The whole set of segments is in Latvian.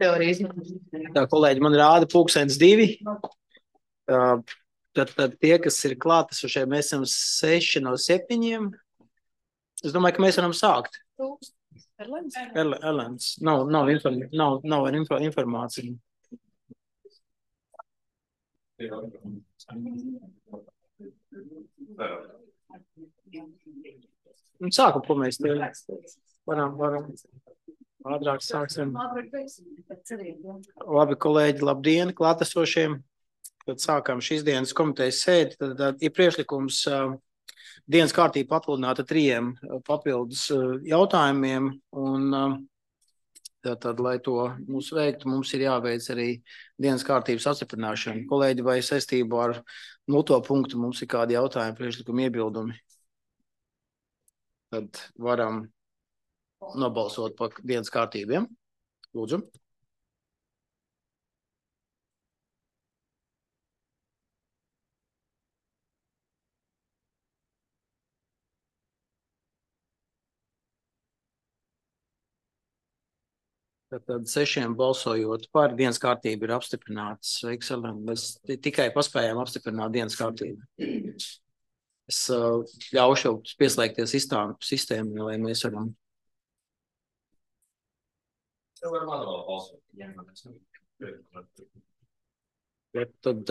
Tā, kolēģi, man rāda 2:02. Tad tie, kas ir klātesošie, mēs esam 6 no 7. Es domāju, ka mēs varam sākt. Erlends. Nav informācija. Sākam, ko mēs te varam. Ātrāk sāksim. Labi, kolēģi, labdien, klātesošiem. Tad sākam šīs dienas komitejas sēdi. Tad ir priekšlikums dienas kārtība papildināta 3 papildus jautājumiem. Un tad, lai to mums veiktu, mums ir jāveic arī dienas kārtības apstiprināšana. Kolēģi, vai saistībā ar 0. punktu mums ir kādi jautājumi, priekšlikumi, iebildumi? Tad varam nobalsot par dienas kārtībiem. Lūdzu. Tad 6 balsojot par dienas kārtību ir apstiprināts. Sveiks, Ellen. Mēs tikai paspējām apstiprināt dienas kārtību. Es ļaušu pieslēgties sistēmu, lai mēs varam. Tad,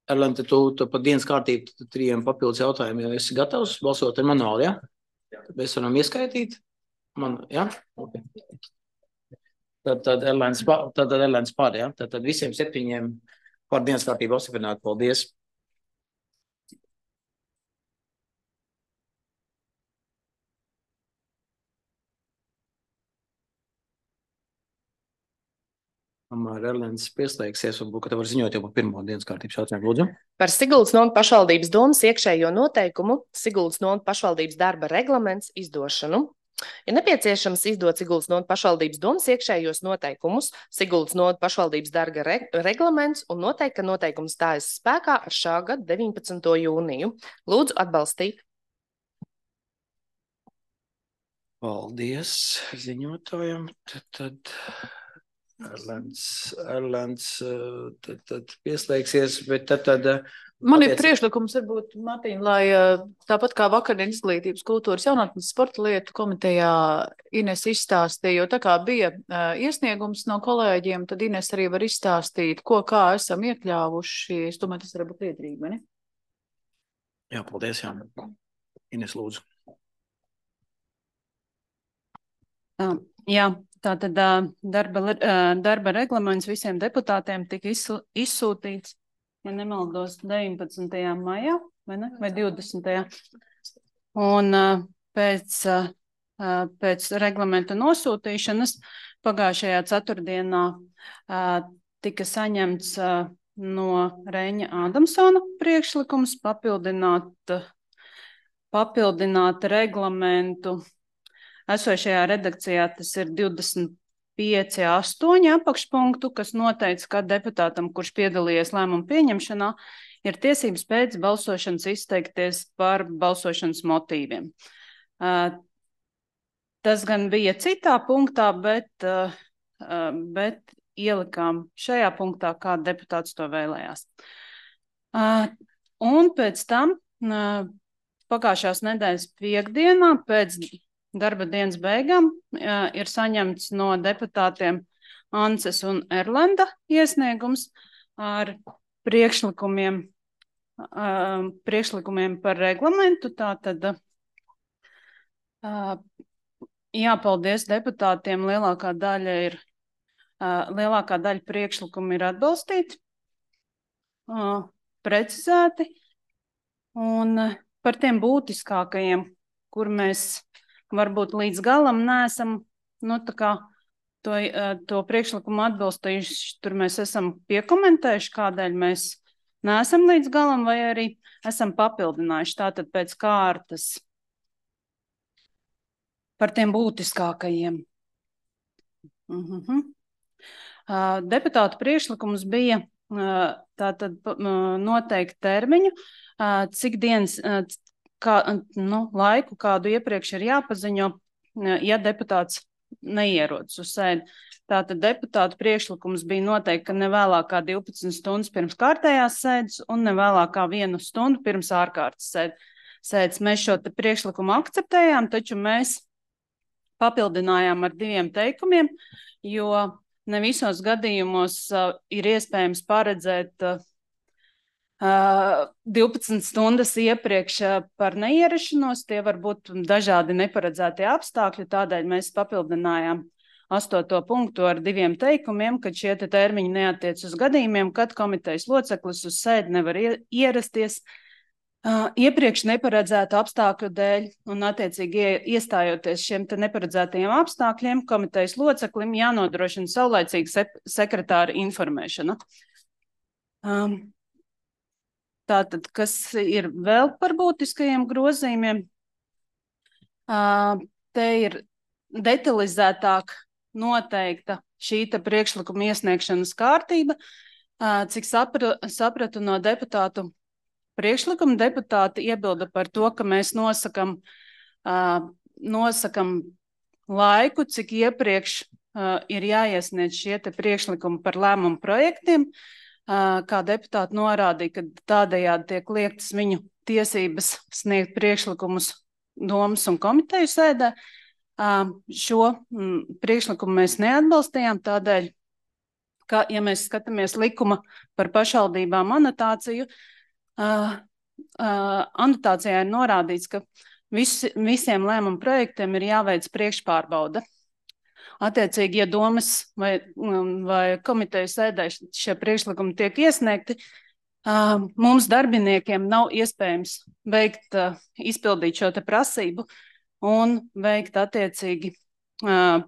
Erlente, tu par dienas kārtību 3 papildus jautājumiem esi gatavs balsot ar manuāli, ja? Tad mēs varam ieskaitīt. Ja? Okay. Tad Erlends par, ja? Tad visiem 7 par dienas kārtību apstiprināt. Paldies. Erlends pieslēgsies, varbūt, ka tev var ziņot jau par 1. dienas kārtības jautājumu. Lūdzu. Par Siguldas novadas pašvaldības domas iekšējo noteikumu Siguldas novadas pašvaldības darba reglaments izdošanu. Ir nepieciešams izdot Siguldas novadas pašvaldības domas iekšējos noteikumus, Siguldas novadas pašvaldības darba reglaments un noteikt, ka noteikums stājas spēkā ar šā gada 19. jūniju. Lūdzu atbalstīt. Paldies ziņotājiem. Tad Erlends pieslēgsies, bet tad man ir priekšlikums, varbūt, Martīna, lai tāpat kā vakardienas izglītības kultūras jaunatnes sporta lietu komitejā Ines izstāstīja, jo tā kā bija iesniegums no kolēģiem, tad Ines arī var izstāstīt, kā esam iekļāvuši. Es domāju, tas var būt liederīgi, vai ne? Jā, paldies, jā. Ines, lūdzu. Jā. Tātad darba reglaments visiem deputātiem tika izsūtīts, ja nemaldos, 19. maijā, vai ne? Vai 20. Un pēc reglamenta nosūtīšanas pagājušajā ceturtdienā tika saņemts no Reņa Ādamsona priekšlikums papildināt reglamentu. Esošajā redakcijā tas ir 25.8 apakšpunktu, kas noteica, ka deputātam, kurš piedalījies lēmumu pieņemšanā, ir tiesības pēc balsošanas izteikties par balsošanas motīviem. Tas gan bija citā punktā, bet ielikām šajā punktā, kā deputāts to vēlējās. Un pēc tam pagājušās nedēļas piekdienā pēc darba dienas beigām ir saņemts no deputātiem Ances un Erlenda iesniegums ar priekšlikumiem par reglamentu. Tātad jāpaldies deputātiem, lielākā daļa priekšlikumu ir atbalstīti, precizēti, un par tiem būtiskākajiem, kur mēs varbūt līdz galam neesam to priekšlikumu atbalstījuši, tur mēs esam piekomentējuši, kādēļ mēs neesam līdz galam, vai arī esam papildinājuši. Tātad pēc kārtas par tiem būtiskākajiem. Deputātu priekšlikums bija tātad noteikti termiņu, cik dienas, laiku, kādu iepriekš ir jāpaziņo ja deputāts neierodas uz sēdi. Tātad deputātu priekšlikums bija noteikti, ka ne vēlāk kā 12 stundas pirms kārtējās sēdes un ne vēlāk kā 1 stundu pirms ārkārtas sēdes. Mēs šo priekšlikumu akceptējām, taču mēs papildinājām ar 2 teikumiem, jo ne visos gadījumos ir iespējams paredzēt 12 stundas iepriekš par neierašanos. Tie var būt dažādi neparedzētie apstākļi, tādēļ mēs papildinājām 8. punktu ar 2 teikumiem, ka šie termiņi neattiec uz gadījumiem, kad komitejas loceklis uz sēdi nevar ierasties iepriekš neparedzētu apstākļu dēļ, un attiecīgi iestājoties šiem neparedzētajiem apstākļiem, komitejas loceklim jānodrošina saulaicīga sekretāra informēšana. Tātad, kas ir vēl par būtiskajiem grozījumiem? Te ir detalizētāk noteikta šī priekšlikuma iesniegšanas kārtība. Cik sapratu no deputātu priekšlikuma, deputāti iebilda par to, ka mēs nosakam laiku, cik iepriekš ir jāiesniedz šie priekšlikumi par lēmumu projektiem. Kā deputāti norādīja, ka tādējādi tiek liektas viņu tiesības sniegt priekšlikumus domas un komiteju sēdē. Šo priekšlikumu mēs neatbalstījām tādēļ, ka, ja mēs skatāmies likuma par pašvaldībām anotāciju, anotācijā ir norādīts, ka visiem lēmumu projektiem ir jāveic priekšpārbauda. Attiecīgi, ja domas vai komiteju sēdē šie priekšlikumi tiek iesniegti, mums darbiniekiem nav iespējams izpildīt šo prasību un veikt attiecīgi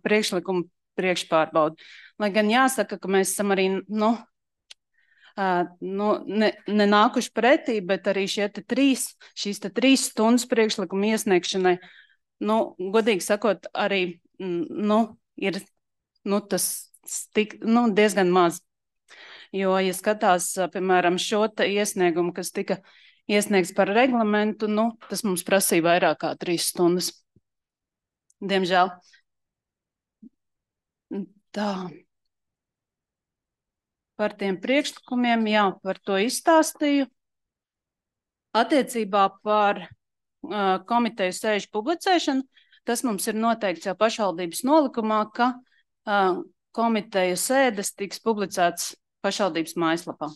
priekšlikumu priekšpārbaudi. Lai gan jāsaka, ka mēs esam arī nenākuši pretī, bet arī šīs 3 stundas priekšlikumu iesniegšanai, godīgi sakot, arī ir tas diezgan maz. Jo, ja skatās, piemēram, šo iesniegumu, kas tika iesniegts par reglamentu, tas mums prasīja vairāk kā 3 stundas. Diemžēl. Tā. Par tiem priekšlikumiem, par to izstāstīju. Attiecībā par komiteju sēžu publicēšanu, tas mums ir noteikts jau pašvaldības nolikumā, ka komiteju sēdes tiks publicēts pašvaldības mājaslapā.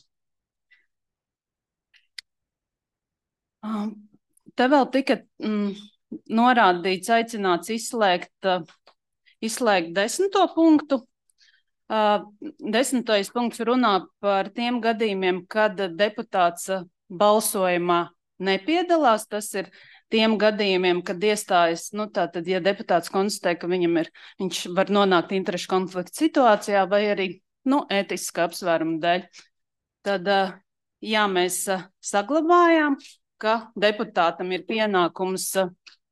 Te vēl tika norādīts, aicināts izslēgt 10. punktu. 10. punkts runā par tiem gadījumiem, kad deputāts balsojumā nepiedalās. Tas ir tiem gadījumiem, kad iestājas, tātad, ja deputāts konstatē, ka viņš var nonākt interešu konflikta situācijā vai arī, ētiska apsvēruma dēļ. Tad, mēs saglabājām, ka deputātam ir pienākums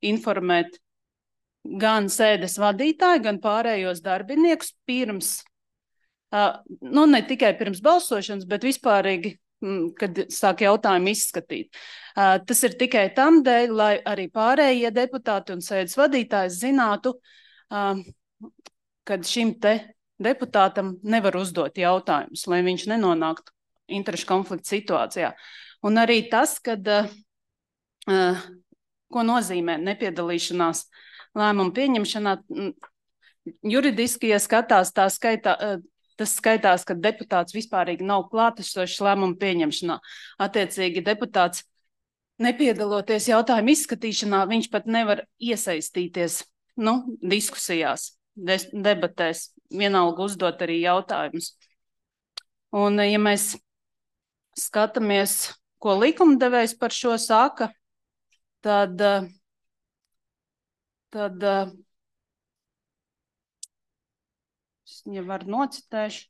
informēt gan sēdes vadītāju, gan pārējos darbiniekus pirms, ne tikai pirms balsošanas, bet vispārīgi, kad sāk jautājumu izskatīt. Tas ir tikai tam dēļ, lai arī pārējie deputāti un sēdes vadītājs zinātu, kad šim deputātam nevar uzdot jautājumus, lai viņš nenonāktu interešu konflikta situācijā. Un arī tas, kad, ko nozīmē nepiedalīšanās lēmumu pieņemšanā, juridiski, ja skatās, tas skaitās, ka deputāts vispārīgi nav klātesošs lēmumu pieņemšanā. Attiecīgi deputāts nepiedaloties jautājumu izskatīšanā, viņš pat nevar iesaistīties diskusijās, debatēs, vienalga uzdot arī jautājumus. Un, ja mēs skatāmies, ko likumdevējs par šo saka, tad ja var nocitēšu,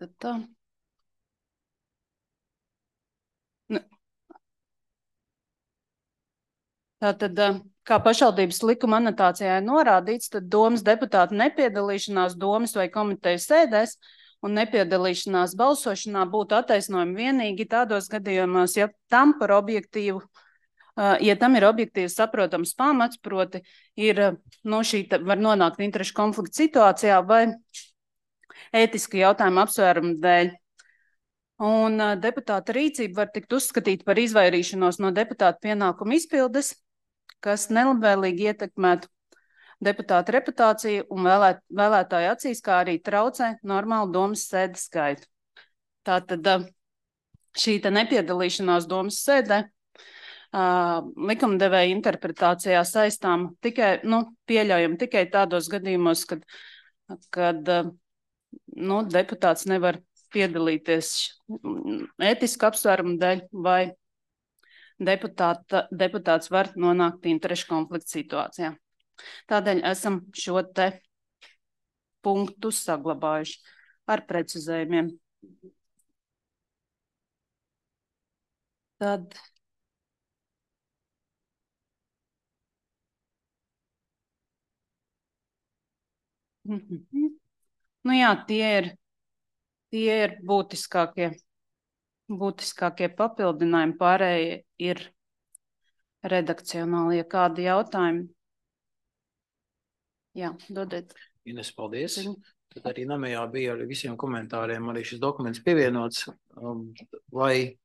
tad tā. Tātad, kā pašvaldības likuma anotācijā ir norādīts, tad domas deputāta nepiedalīšanās domas vai komitejas sēdēs un nepiedalīšanās balsošanā būtu attaisnojumi vienīgi tādos gadījumos, ja tam par objektīvu ja tam ir objektīvi saprotams pamats, proti ir, šī var nonākt interešu konflikta situācijā vai ētiski jautājumu apsvērumu dēļ. Un deputāta rīcība var tikt uzskatīta par izvairīšanos no deputāta pienākumu izpildes, kas nelabvēlīgi ietekmētu deputāta reputāciju un vēlētāju acīs, kā arī traucē normālu domas sēdes skaitu. Tātad šī nepiedalīšanās domas sēdē likumdevēja interpretācijā saistām tikai, pieļaujam tikai tādos gadījumos, kad deputāts nevar piedalīties ētisku apsvērumu dēļ vai deputāts var nonākt interešu konflikta situācijā. Tādēļ esam šo te punktu saglabājuši ar precizējumiem. Tad tie ir būtiskākie papildinājumi, pārējie ir redakcionāli. Ja kādi jautājumi? Jā, dodiet. Ines, paldies. Tad arī namējā bija ar visiem komentāriem arī šis dokuments pievienots. Vai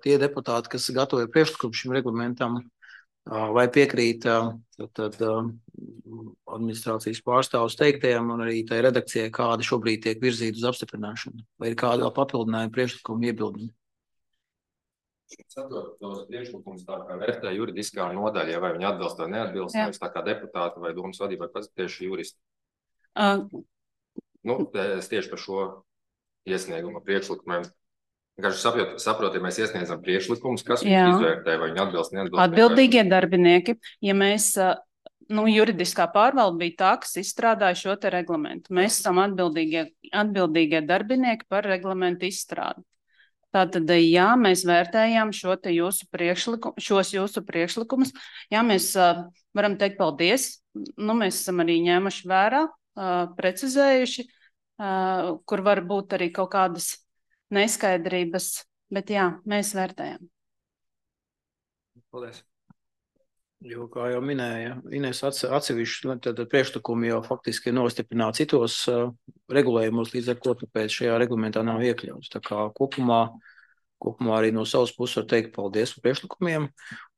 tie deputāti, kas gatavoja priekšlikumu šim reglamentam, vai piekrīt administrācijas pārstāvus teiktajam un arī tai redakcijai, kāda šobrīd tiek virzīta uz apstiprināšanu? Vai ir kāda vēl papildinājuma priekšlikuma iebildumi? Saprot, tos priekšlikumus tā kā vērtē juridiskā nodaļa, vai viņi atbilst vai neatbilst, vai tā kā deputāti vai domas vadība, vai pats tieši juristi. Es tieši par šo iesniegumu priekšlikumiem. Saprot, ja mēs iesniedzam priekšlikumus, kas viņi izvērtē, vai viņi atbilst, neatbilst. Atbildīgie darbinieki, ja mēs, juridiskā pārvalde bija tā, kas izstrādāja šo te reglamentu. Mēs esam atbildīgie darbinieki par reglamentu izstrādi. Tātad, jā, mēs vērtējām šos jūsu priekšlikumus. Jā, mēs varam teikt paldies. Mēs esam arī ņēmuši vērā, precizējuši, kur var būt arī kaut kādas neskaidrības, bet jā, mēs vērtējam. Paldies. Jo, kā jau minēja, Ines atsevišķi, tad priekšlikumi jau faktiski ir nostiprināti citos regulējumos, līdz ar ko tāpēc šajā reglamentā nav iekļauts. Tā kā kopumā arī no savas puses var teikt paldies par priekšlikumiem.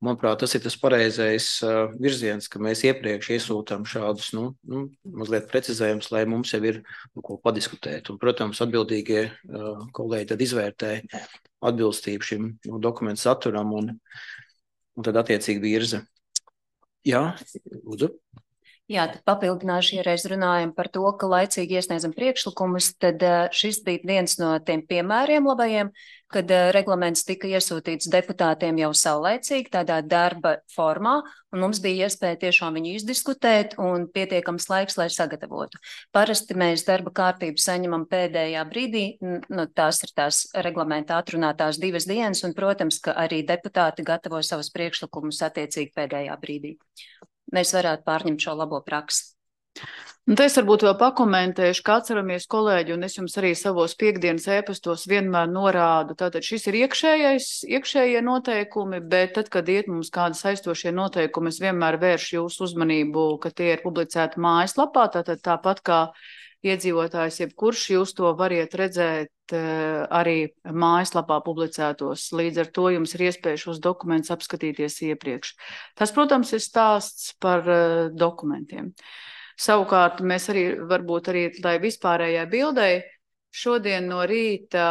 Manuprāt, tas ir tas pareizais virziens, ka mēs iepriekš iesūtām šādus, mazliet precizējumus, lai mums jau ir ko padiskutēt. Un, protams, atbildīgie kolēģi tad izvērtē atbilstību šim dokumentu saturam un tad attiecīgi virza. Jā, lūdzu. Jā, tad papildināšu, ja reiz runājam par to, ka laicīgi iesniedzam priekšlikumus, tad šis bija viens no tiem piemēriem labajiem, kad reglaments tika iesūtīts deputātiem jau saulaicīgi tādā darba formā, un mums bija iespēja tiešām viņu izdiskutēt un pietiekams laiks, lai sagatavotu. Parasti mēs darba kārtību saņemam pēdējā brīdī, tās ir tās reglamentā atrunātās 2 dienas, un, protams, ka arī deputāti gatavo savus priekšlikumus attiecīgi pēdējā brīdī. Mēs varētu pārņemt šo labo praksi. Un te es varbūt vēl pakomentēšu, kā atceramies kolēģi, un es jums arī savos piekdienas ēpastos vienmēr norādu. Tātad šis ir iekšējie noteikumi, bet tad, kad iet mums kādi saistošie noteikumi, es vienmēr vēršu jūsu uzmanību, ka tie ir publicēti mājaslapā, tātad tāpat kā iedzīvotājs, jebkurš jūs to variet redzēt arī mājaslapā publicētos. Līdz ar to jums ir iespēja šos dokumentus apskatīties iepriekš. Tas, protams, ir stāsts par dokumentiem. Savukārt mēs arī, varbūt arī, lai vispārējai bildei, šodien no rīta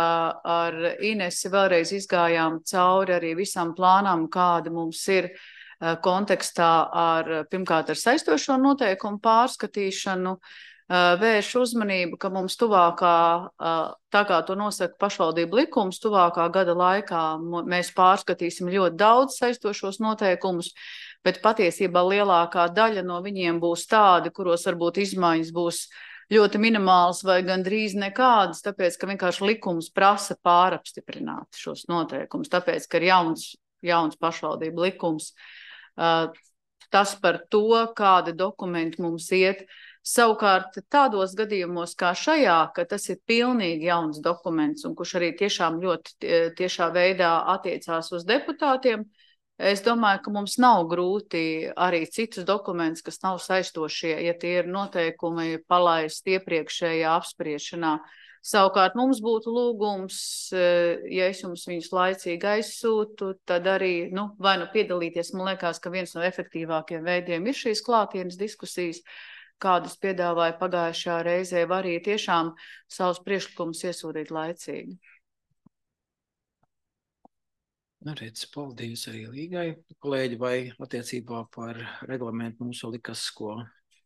ar Inesi vēlreiz izgājām cauri arī visam plānam, kāda mums ir kontekstā pirmkārt ar saistošo noteikumu pārskatīšanu, vērš uzmanību, ka mums tuvākā, tā kā to nosaka pašvaldību likums, tuvākā gada laikā mēs pārskatīsim ļoti daudz saistošos noteikumus, bet patiesībā lielākā daļa no viņiem būs tādi, kuros varbūt izmaiņas būs ļoti minimāls vai gandrīz nekādas, tāpēc, ka vienkārši likums prasa pārapstiprināt šos noteikumus, tāpēc, ka ir jauns pašvaldību likums. Tas par to, kādi dokumenti mums iet. Savukārt tādos gadījumos kā šajā, ka tas ir pilnīgi jauns dokuments un kurš arī tiešām ļoti tiešā veidā attiecās uz deputātiem, Es domāju, ka mums nav grūti arī citus dokumentus, kas nav saistošie, ja tie ir noteikumi palaist iepriekšējā apspriešanā. Savukārt mums būtu lūgums, ja es jums viņus laicīgi aizsūtu, tad arī, vai piedalīties, man liekas, ka viens no efektīvākiem veidiem ir šīs klātienes diskusijas, kādas piedāvāja pagājušā reizē, var arī tiešām savus priekšlikumus iesūtīt laicīgi. Redz, paldies arī Līgai. Kolēģi, vai attiecībā par reglamentu mums vēl likas, ko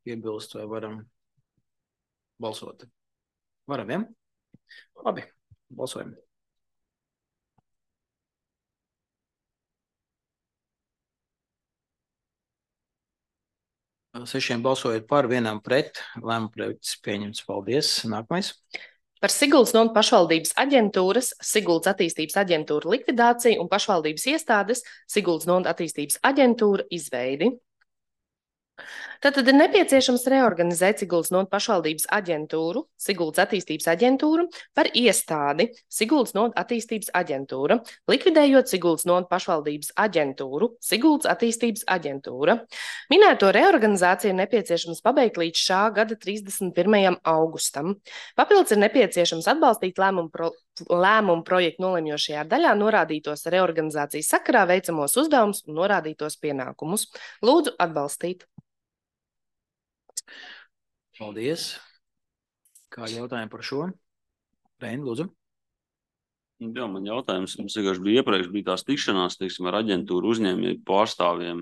piebilst, vai varam balsot? Varam, ja? Labi, balsojam. Sešiem balsojot par, vienam pret, lēmumu projekts pieņemts. Paldies. Nākamais. Par Siguldas novads pašvaldības aģentūras, Siguldas attīstības aģentūra likvidāciju un pašvaldības iestādes Siguldas novads attīstības aģentūra izveidi. Tātad ir nepieciešams reorganizēt Siguldas novads pašvaldības aģentūru, Siguldas attīstības aģentūru par iestādi Siguldas novads attīstības aģentūra, likvidējot Siguldas novads pašvaldības aģentūru, Siguldas attīstības aģentūra. Minēto reorganizāciju ir nepieciešams pabeigt līdz šā gada 31. augustam. Papildus ir nepieciešams atbalstīt lēmumu projektu nolemjošajā daļā norādītos reorganizācijas sakarā veicamos uzdevumus un norādītos pienākumus. Lūdzu atbalstīt. Paldies. Kādi jautājumi par šo? Reini, lūdzu. Jā, man jautājums, mums vienkārši iepriekš bija tās tikšanās, teiksim, ar aģentūru uzņēmēju pārstāvjiem.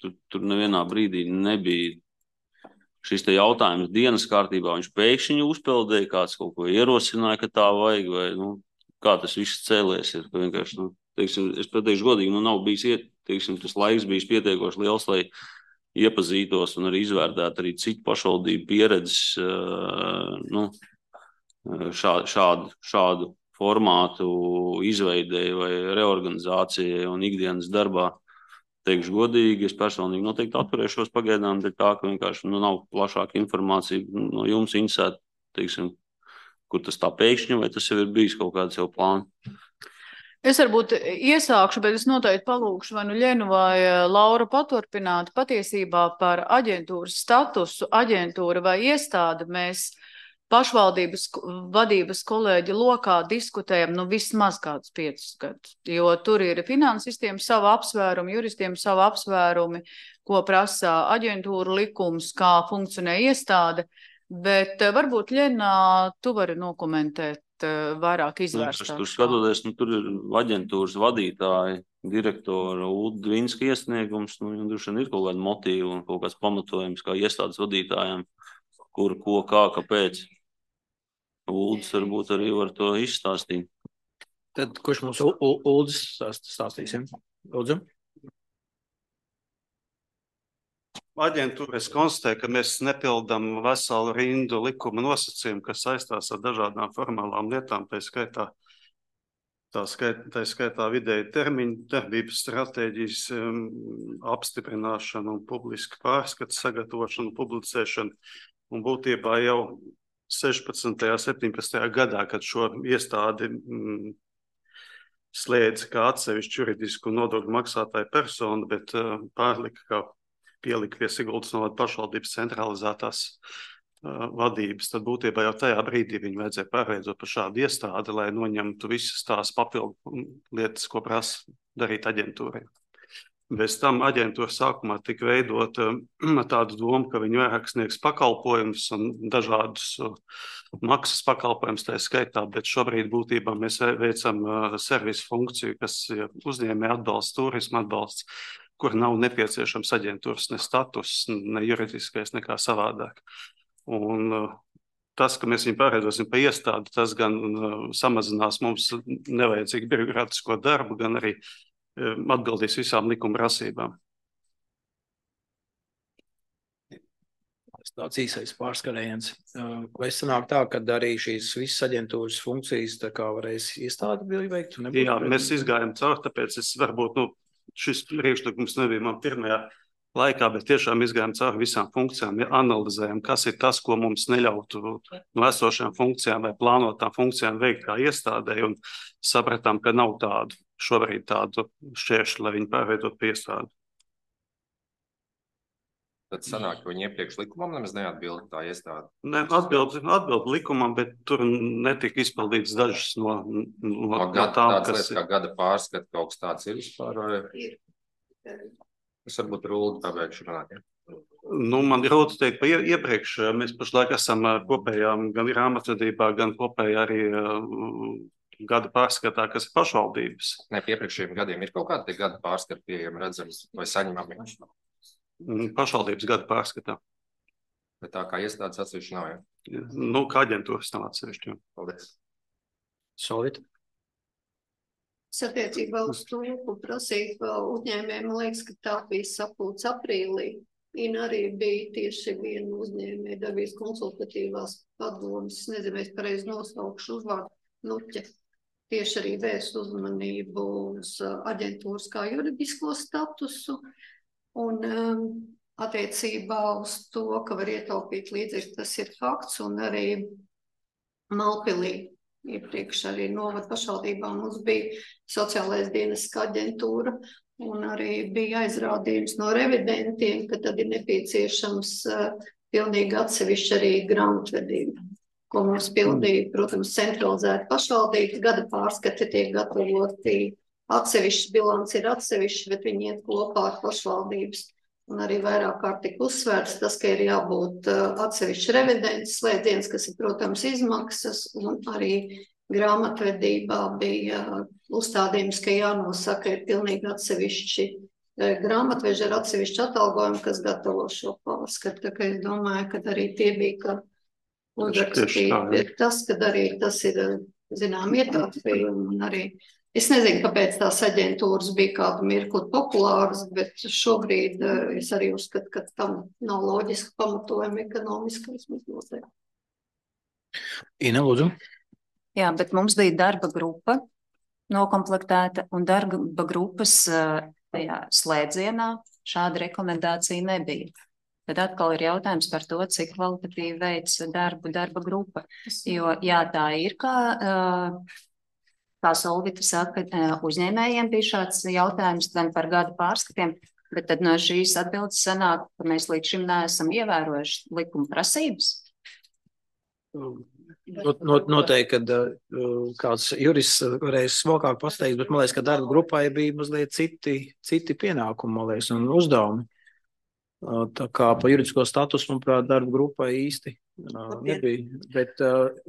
Tur nevienā brīdī nebija šis te jautājums dienas kārtībā. Viņš pēkšņi uzpeldēja, kāds kaut ko ierosināja, ka tā vajag, vai, kā tas viss cēlies ir. Vienkārši, teiksim, es pateikšu godīgi, nav bijis, teiksim, tas laiks bijis pietiekoši liels, lai iepazītos un arī izvērtētu arī citu pašvaldību pieredzes šādu formātu izveidēji vai reorganizācijai un ikdienas darbā. Teikšu godīgi, es personīgi noteikti atturēšos pagaidām, dēļ tā, ka vienkārši nav plašāka informācija no jums interesēt, teiksim, kur tas tā pēkšņi, vai tas jau ir bijis kaut kāds jau plāns. Es varbūt iesākšu, bet es noteikti palūkšu vai Ļenu vai Lauru paturpināt. Patiesībā par aģentūras statusu, aģentūra vai iestāde mēs pašvaldības vadības kolēģi lokā diskutējam vismaz kādus 5 gadus, jo tur ir finansistiem savu apsvērumi, juristiem savu apsvērumi, ko prasa aģentūra likums, kā funkcionē iestāde, bet varbūt Ļena, tu vari nokomentēt vairāk izvērstāk. Tur skatoties, tur ir aģentūras vadītāji, direktora Ulda Dvinska iesniegums, droši vien ir kaut kāda motīva un kaut kāds pamatojums kā iestādes vadītājiem, kur, ko, kā, kāpēc. Ulds varbūt arī var to izstāstīt. Tad kurš mums Uldis stāstīsim? Lūdzu. Aģentūras konstatē, ka mēs nepildam veselu rindu likuma nosacījumu, kas saistās ar dažādām formālām lietām, tā skaitā vidēji termiņu, darbības stratēģijas apstiprināšanu un publisku pārskatu sagatavošanu, publicēšanu. Un būtībā jau 16. 17. gadā, kad šo iestādi slēdza kā atsevišķu juridisku nodokļu maksātāju personu, bet pielika pie Siguldas novads pašvaldības centralizētās vadības, tad būtībā jau tajā brīdī viņu vajadzēja pārveidot par šādu iestādi, lai noņemtu visas tās papildu lietas, ko prasa darīt aģentūrai. Bez tam aģentūra sākumā tika veidota tādu domu, ka viņi vairāk sniegs pakalpojumus un dažādus maksas pakalpojumus tā skaitā, bet šobrīd būtībā mēs veicam servisu funkciju, kas ir uzņēmēja atbalsts, turisma atbalsts, kur nav nepieciešams aģentūras ne status, ne juridiskais, nekā savādāk. Un tas, ka mēs viņu pārveidosim pa iestādi, tas gan samazinās mums nevajadzīgu birokrātisko darbu, gan arī atbildīs visām likuma prasībām. Tāds īsais pārskarējiens. Vai sanāk tā, ka arī šīs visas aģentūras funkcijas tā kā varēs iestādi veikt? Jā, mēs izgājam caur, tāpēc es varbūt, šis priekšlikums nebija man pirmajā laikā, bet tiešām izgājām cauri visām funkcijām, analizējam, kas ir tas, ko mums neļautu no esošām funkcijām vai plānotām funkcijām veikt kā iestādē, un sapratām, ka nav tādu. šobrīd tādu šķēršļu, lai viņi pārveidot par iestādi. Tad sanāk, ka viņi iepriekš likumam nemaz neatbild tā iestāde. Ne, atbild likumam, bet tur netika izpildīts dažas no tām, tādas lietas kā gada pārskat, kaut kas tāds ir vispār, vai? Es varbūt Rūdu pabeigšu runāt, ja? Nu, man ir Rūdu teikt, pa iepriekš mēs pašlaik esam kopējā gan grāmatvedībā, gan kopējā arī gada pārskatā, kas ir pašvaldības. Ne, pie iepriekšējiem gadiem ir kaut kādi tie gada pārskati pieejami redzams vai saņemami? Pašvaldības gada pārskatā. Bet tā kā iestādes atsevišķi nav, ja? Nu, kā aģentūras nav atsevišķi. Paldies. Solvita. Attiecībā uz to, ko prasīt uzņēmējiem, man liekas, ka tā bija sapulce aprīlī. Ina arī bija tieši viena uzņēmēja darbības konsultatīvās padomas, nezinu, es pareizi nosaukšu uzvārdu, Nuķe. Tieši arī vērst uzmanību uz aģentūras kā juridisko statusu. Un attiecībā uz to, ka var ietaupīt līdzekļus, tas ir fakts, un arī Malpilī iepriekš arī novada pašvaldībā mums bija sociālais dienests aģentūra, un arī bija aizrādījums no revidentiem, ka tad ir nepieciešams pilnīgi atsevišķi arī grāmatvedība, ko mums pildīja, protams, centralizēta pašvaldības, gada pārskati tiek gatavoti. Atsevišķi bilants ir atsevišķi, bet viņi iet kopā ar pašvaldības. Un arī vairāk kārt tika uzsvērts tas, ka ir jābūt atsevišķi revidents slēdziens, kas ir, protams, izmaksas, un arī grāmatvedībā bija uzstādījums, ka jānosaka ir pilnīgi atsevišķi grāmatveži ar atsevišķi atalgojumu, kas gatavo šo pārskatu. Tā kā es domāju, ka arī tie bija, ka uzrakstīt tas, ka arī tas ir, zinām, ietaupījumi un arī. Es nezinu, kāpēc tās aģentūras bija kādu mirkli populāras, bet šobrīd es arī uzskatu, ka tam nav loģiski pamatojumi ekonomiski vismaz noteikti. Ina, lūdzu. Jā, bet mums bija darba grupa nokomplektēta, un darba grupas tajā slēdzienā šāda rekomendācija nebija. Tad atkal ir jautājums par to, cik kvalitatīvi veic darba grupa. Jo, jā, tā ir kā Solvita saka, uzņēmējiem bija šāds jautājums gan par gada pārskatiem, bet tad no šīs atbildes sanāk, ka mēs līdz šim neesam ievērojuši likuma prasības. Noteikti, kad kāds jurists varēs smokāk pasteigt, bet man liekas, ka darba grupai bija mazliet citi pienākumi, man liekas, un uzdevumi. Tā kā pa juridisko statusu, manuprāt, darba grupai īsti nebija, bet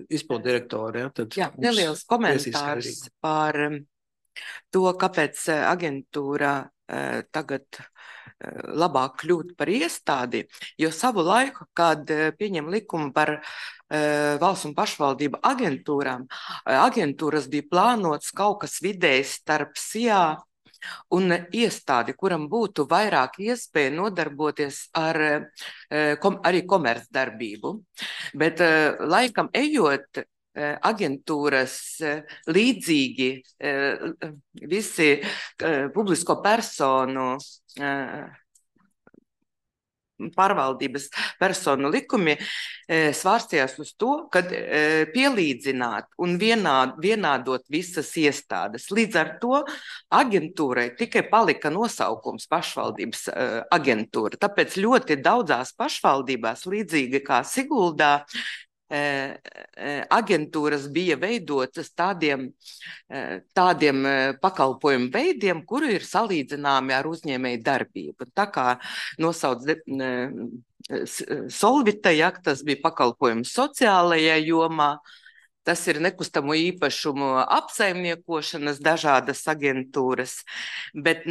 izpildu direktori. Jā, neliels komentārs par to, kāpēc aģentūra tagad labāk kļūt par iestādi, jo savu laiku, kad pieņem likumu par valsts un pašvaldību aģentūrām, aģentūras bija plānotas kaut kas vidējs starp SIA un iestādi, kuram būtu vairāk iespēja nodarboties ar arī komercdarbību. Bet laikam ejot, aģentūras līdzīgi visi publisko personu pārvaldības personu likumi svārstījās uz to, kad pielīdzināt un vienādot visas iestādes. Līdz ar to aģentūrai tikai palika nosaukums pašvaldības aģentūra. Tāpēc ļoti daudzās pašvaldībās, līdzīgi kā Siguldā, aģentūras bija veidotas tādiem pakalpojumu veidiem, kuri ir salīdzināmi ar uzņēmēju darbību. Tā kā nosauc Solvita, ja, tas bija pakalpojums sociālajā jomā, tas ir nekustamo īpašumu apsaimniekošanas dažādas aģentūras, bet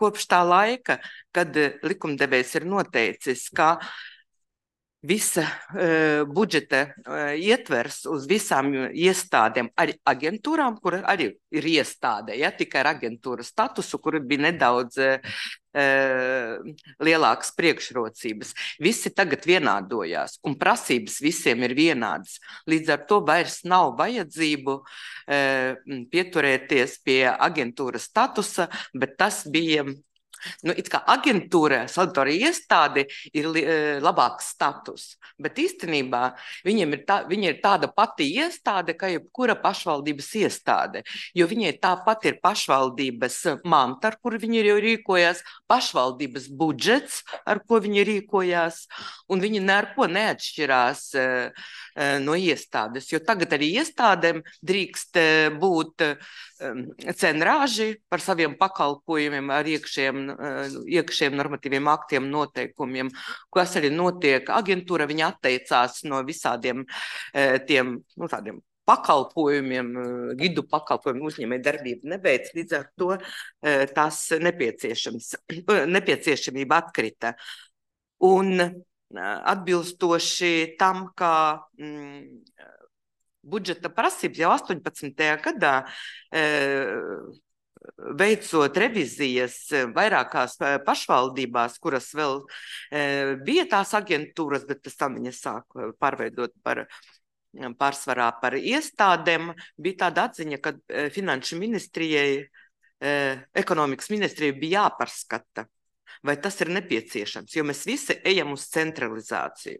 kopš tā laika, kad likumdevējs ir noteicis, ka visa budžeta ietvers uz visām iestādēm, arī aģentūrām, kur arī ir iestāde, ja, tikai ar aģentūras statusu, kur bija nedaudz lielākas priekšrocības. Visi tagad vienādojās, un prasības visiem ir vienādas. Līdz ar to vairs nav vajadzību pieturēties pie aģentūras statusa, bet tas bija it kā aģentūra, salvatorija iestāde ir labāks status, bet īstenībā viņa ir tāda pati iestāde, kā jebkura pašvaldības iestāde, jo viņai tāpat ir pašvaldības manta, ar kuru viņi jau rīkojās, pašvaldības budžets, ar ko viņi rīkojās, un viņi neko neatšķirās no iestādes, jo tagad arī iestādēm drīkst būt cenrāži par saviem pakalpojumiem ar iekšējiem normatīviem aktiem, noteikumiem, kas arī notiek. Aģentūra viņa atteicās no visādiem tiem, tādiem pakalpojumiem, gidu pakalpojumiem, uzņēmēju darbību nebeidz, līdz ar to tās nepieciešamība atkrita. Un atbilstoši tam, kā budžeta prasības jau 18. gadā veicot revizijas vairākās pašvaldībās, kuras vēl bija tās aģentūras, bet pēc tam viņas sāk pārveidot pārsvarā par iestādēm, bija tāda atziņa, ka finanšu ministrijai, ekonomikas ministrijai bija jāpārskata, vai tas ir nepieciešams, jo mēs visi ejam uz centralizāciju.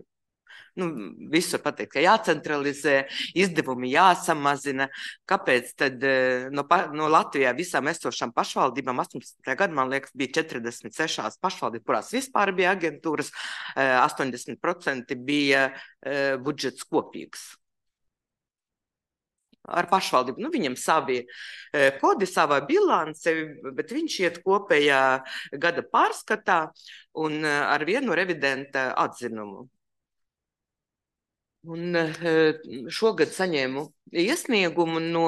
Visur pateikt, ka jācentralizē, izdevumi jāsamazina. Kāpēc tad no Latvijā visām esošām pašvaldībām 18. gadā, man liekas, bija 46 pašvaldības, kurās vispār bija aģentūras, 80% bija budžets kopīgs. Ar pašvaldību. Viņam savi kodi, savā bilance, bet viņš iet kopējā gada pārskatā un ar vienu revidenta atzinumu. Un šogad saņēmu iesniegumu no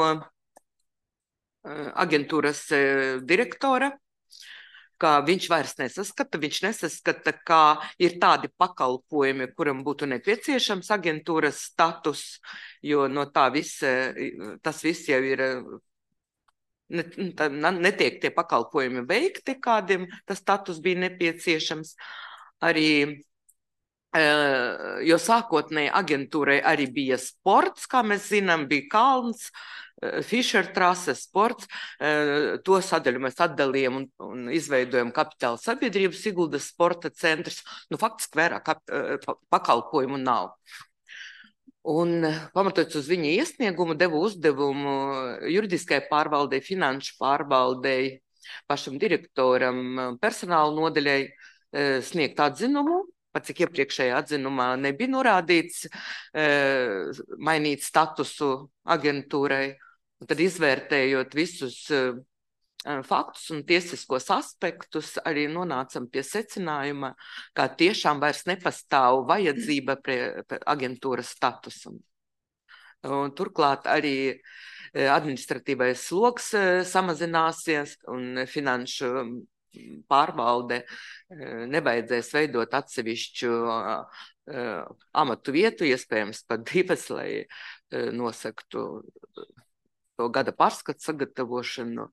aģentūras direktora, ka viņš vairs nesaskata, ka ir tādi pakalpojumi, kuram būtu nepieciešams aģentūras status, jo no tā tas viss jau ir, netiek tie pakalpojumi veikti, kādiem tas status bija nepieciešams. Arī jo sākotnēji aģentūrai arī bija sports, kā mēs zinām, bija kalns, Fischer trase, sports. To sadaļu mēs atdalījām un izveidojam kapitāla sabiedrību Siguldas sporta centrs. Faktiski vairāk pakalpojumu nav. Un pamatojoties uz viņa iesniegumu, devu uzdevumu juridiskai pārvaldei, finanšu pārvaldei, pašam direktoram, personāla nodaļai sniegt atzinumu. Pat cik iepriekšējā atzinumā nebija norādīts mainīt statusu aģentūrai, un tad izvērtējot visus faktus un tiesiskos aspektus, arī nonācam pie secinājuma, ka tiešām vairs nepastāv vajadzība pie aģentūras statusam. Un turklāt arī administratīvais sloks samazināsies un finanšu pārvalde nevajadzēs veidot atsevišķu amatu vietu, iespējams pat divas, lai nosaktu to gada pārskatu sagatavošanu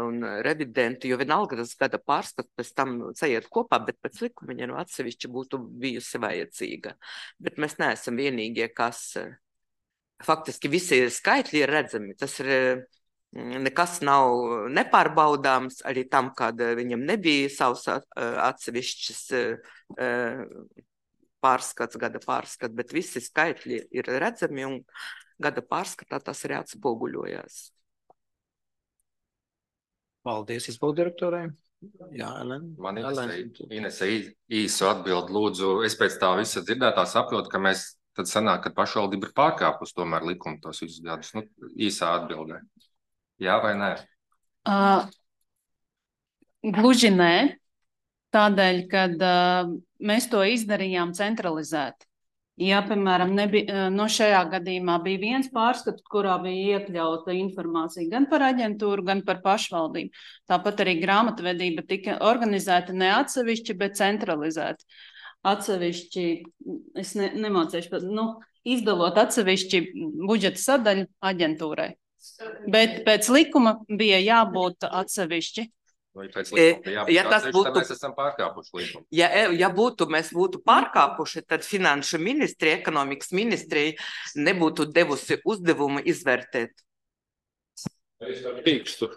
un revidentu, jo vienalga tas gada pārskats pēc tam sajiet kopā, bet pēc likuma viņa atsevišķi būtu bijusi vajadzīga. Bet mēs neesam vienīgie, kas faktiski visi skaitļi ir redzami. Tas ir nekas nav nepārbaudāms arī tam, kad viņam nebija savs atsevišķs pārskats, gada pārskats, bet visi skaitļi ir redzami un gada pārskatā tas arī atspoguļojās. Paldies izpildirektorai. Jā, Elena. Man Inese īsu atbildi lūdzu. Es pēc tā visa dzirdētā saprotu, ka mēs tad sanāk, ka pašvaldība ir pārkāpus tomēr likumu tos visus gadus. Īsā atbildē. Jā vai nē? Gluži nē, tādēļ, kad mēs to izdarījām centralizēti. Ja, piemēram, šajā gadījumā bija viens pārskats, kurā bija iekļauta informācija gan par aģentūru, gan par pašvaldību. Tāpat arī grāmatvedība tika organizēta ne atsevišķi, bet centralizēti. Atsevišķi, es nemācīšu, izdalot atsevišķi budžeta sadaļu aģentūrai. Bet pēc likuma bija jābūt atsevišķi. Ja tas būtu, mēs esam pārkāpuši likumu. Ja mēs būtu pārkāpuši, tad finanšu ministrija, ekonomikas ministrija nebūtu devusi uzdevumu izvērtēt. Es pīkstu.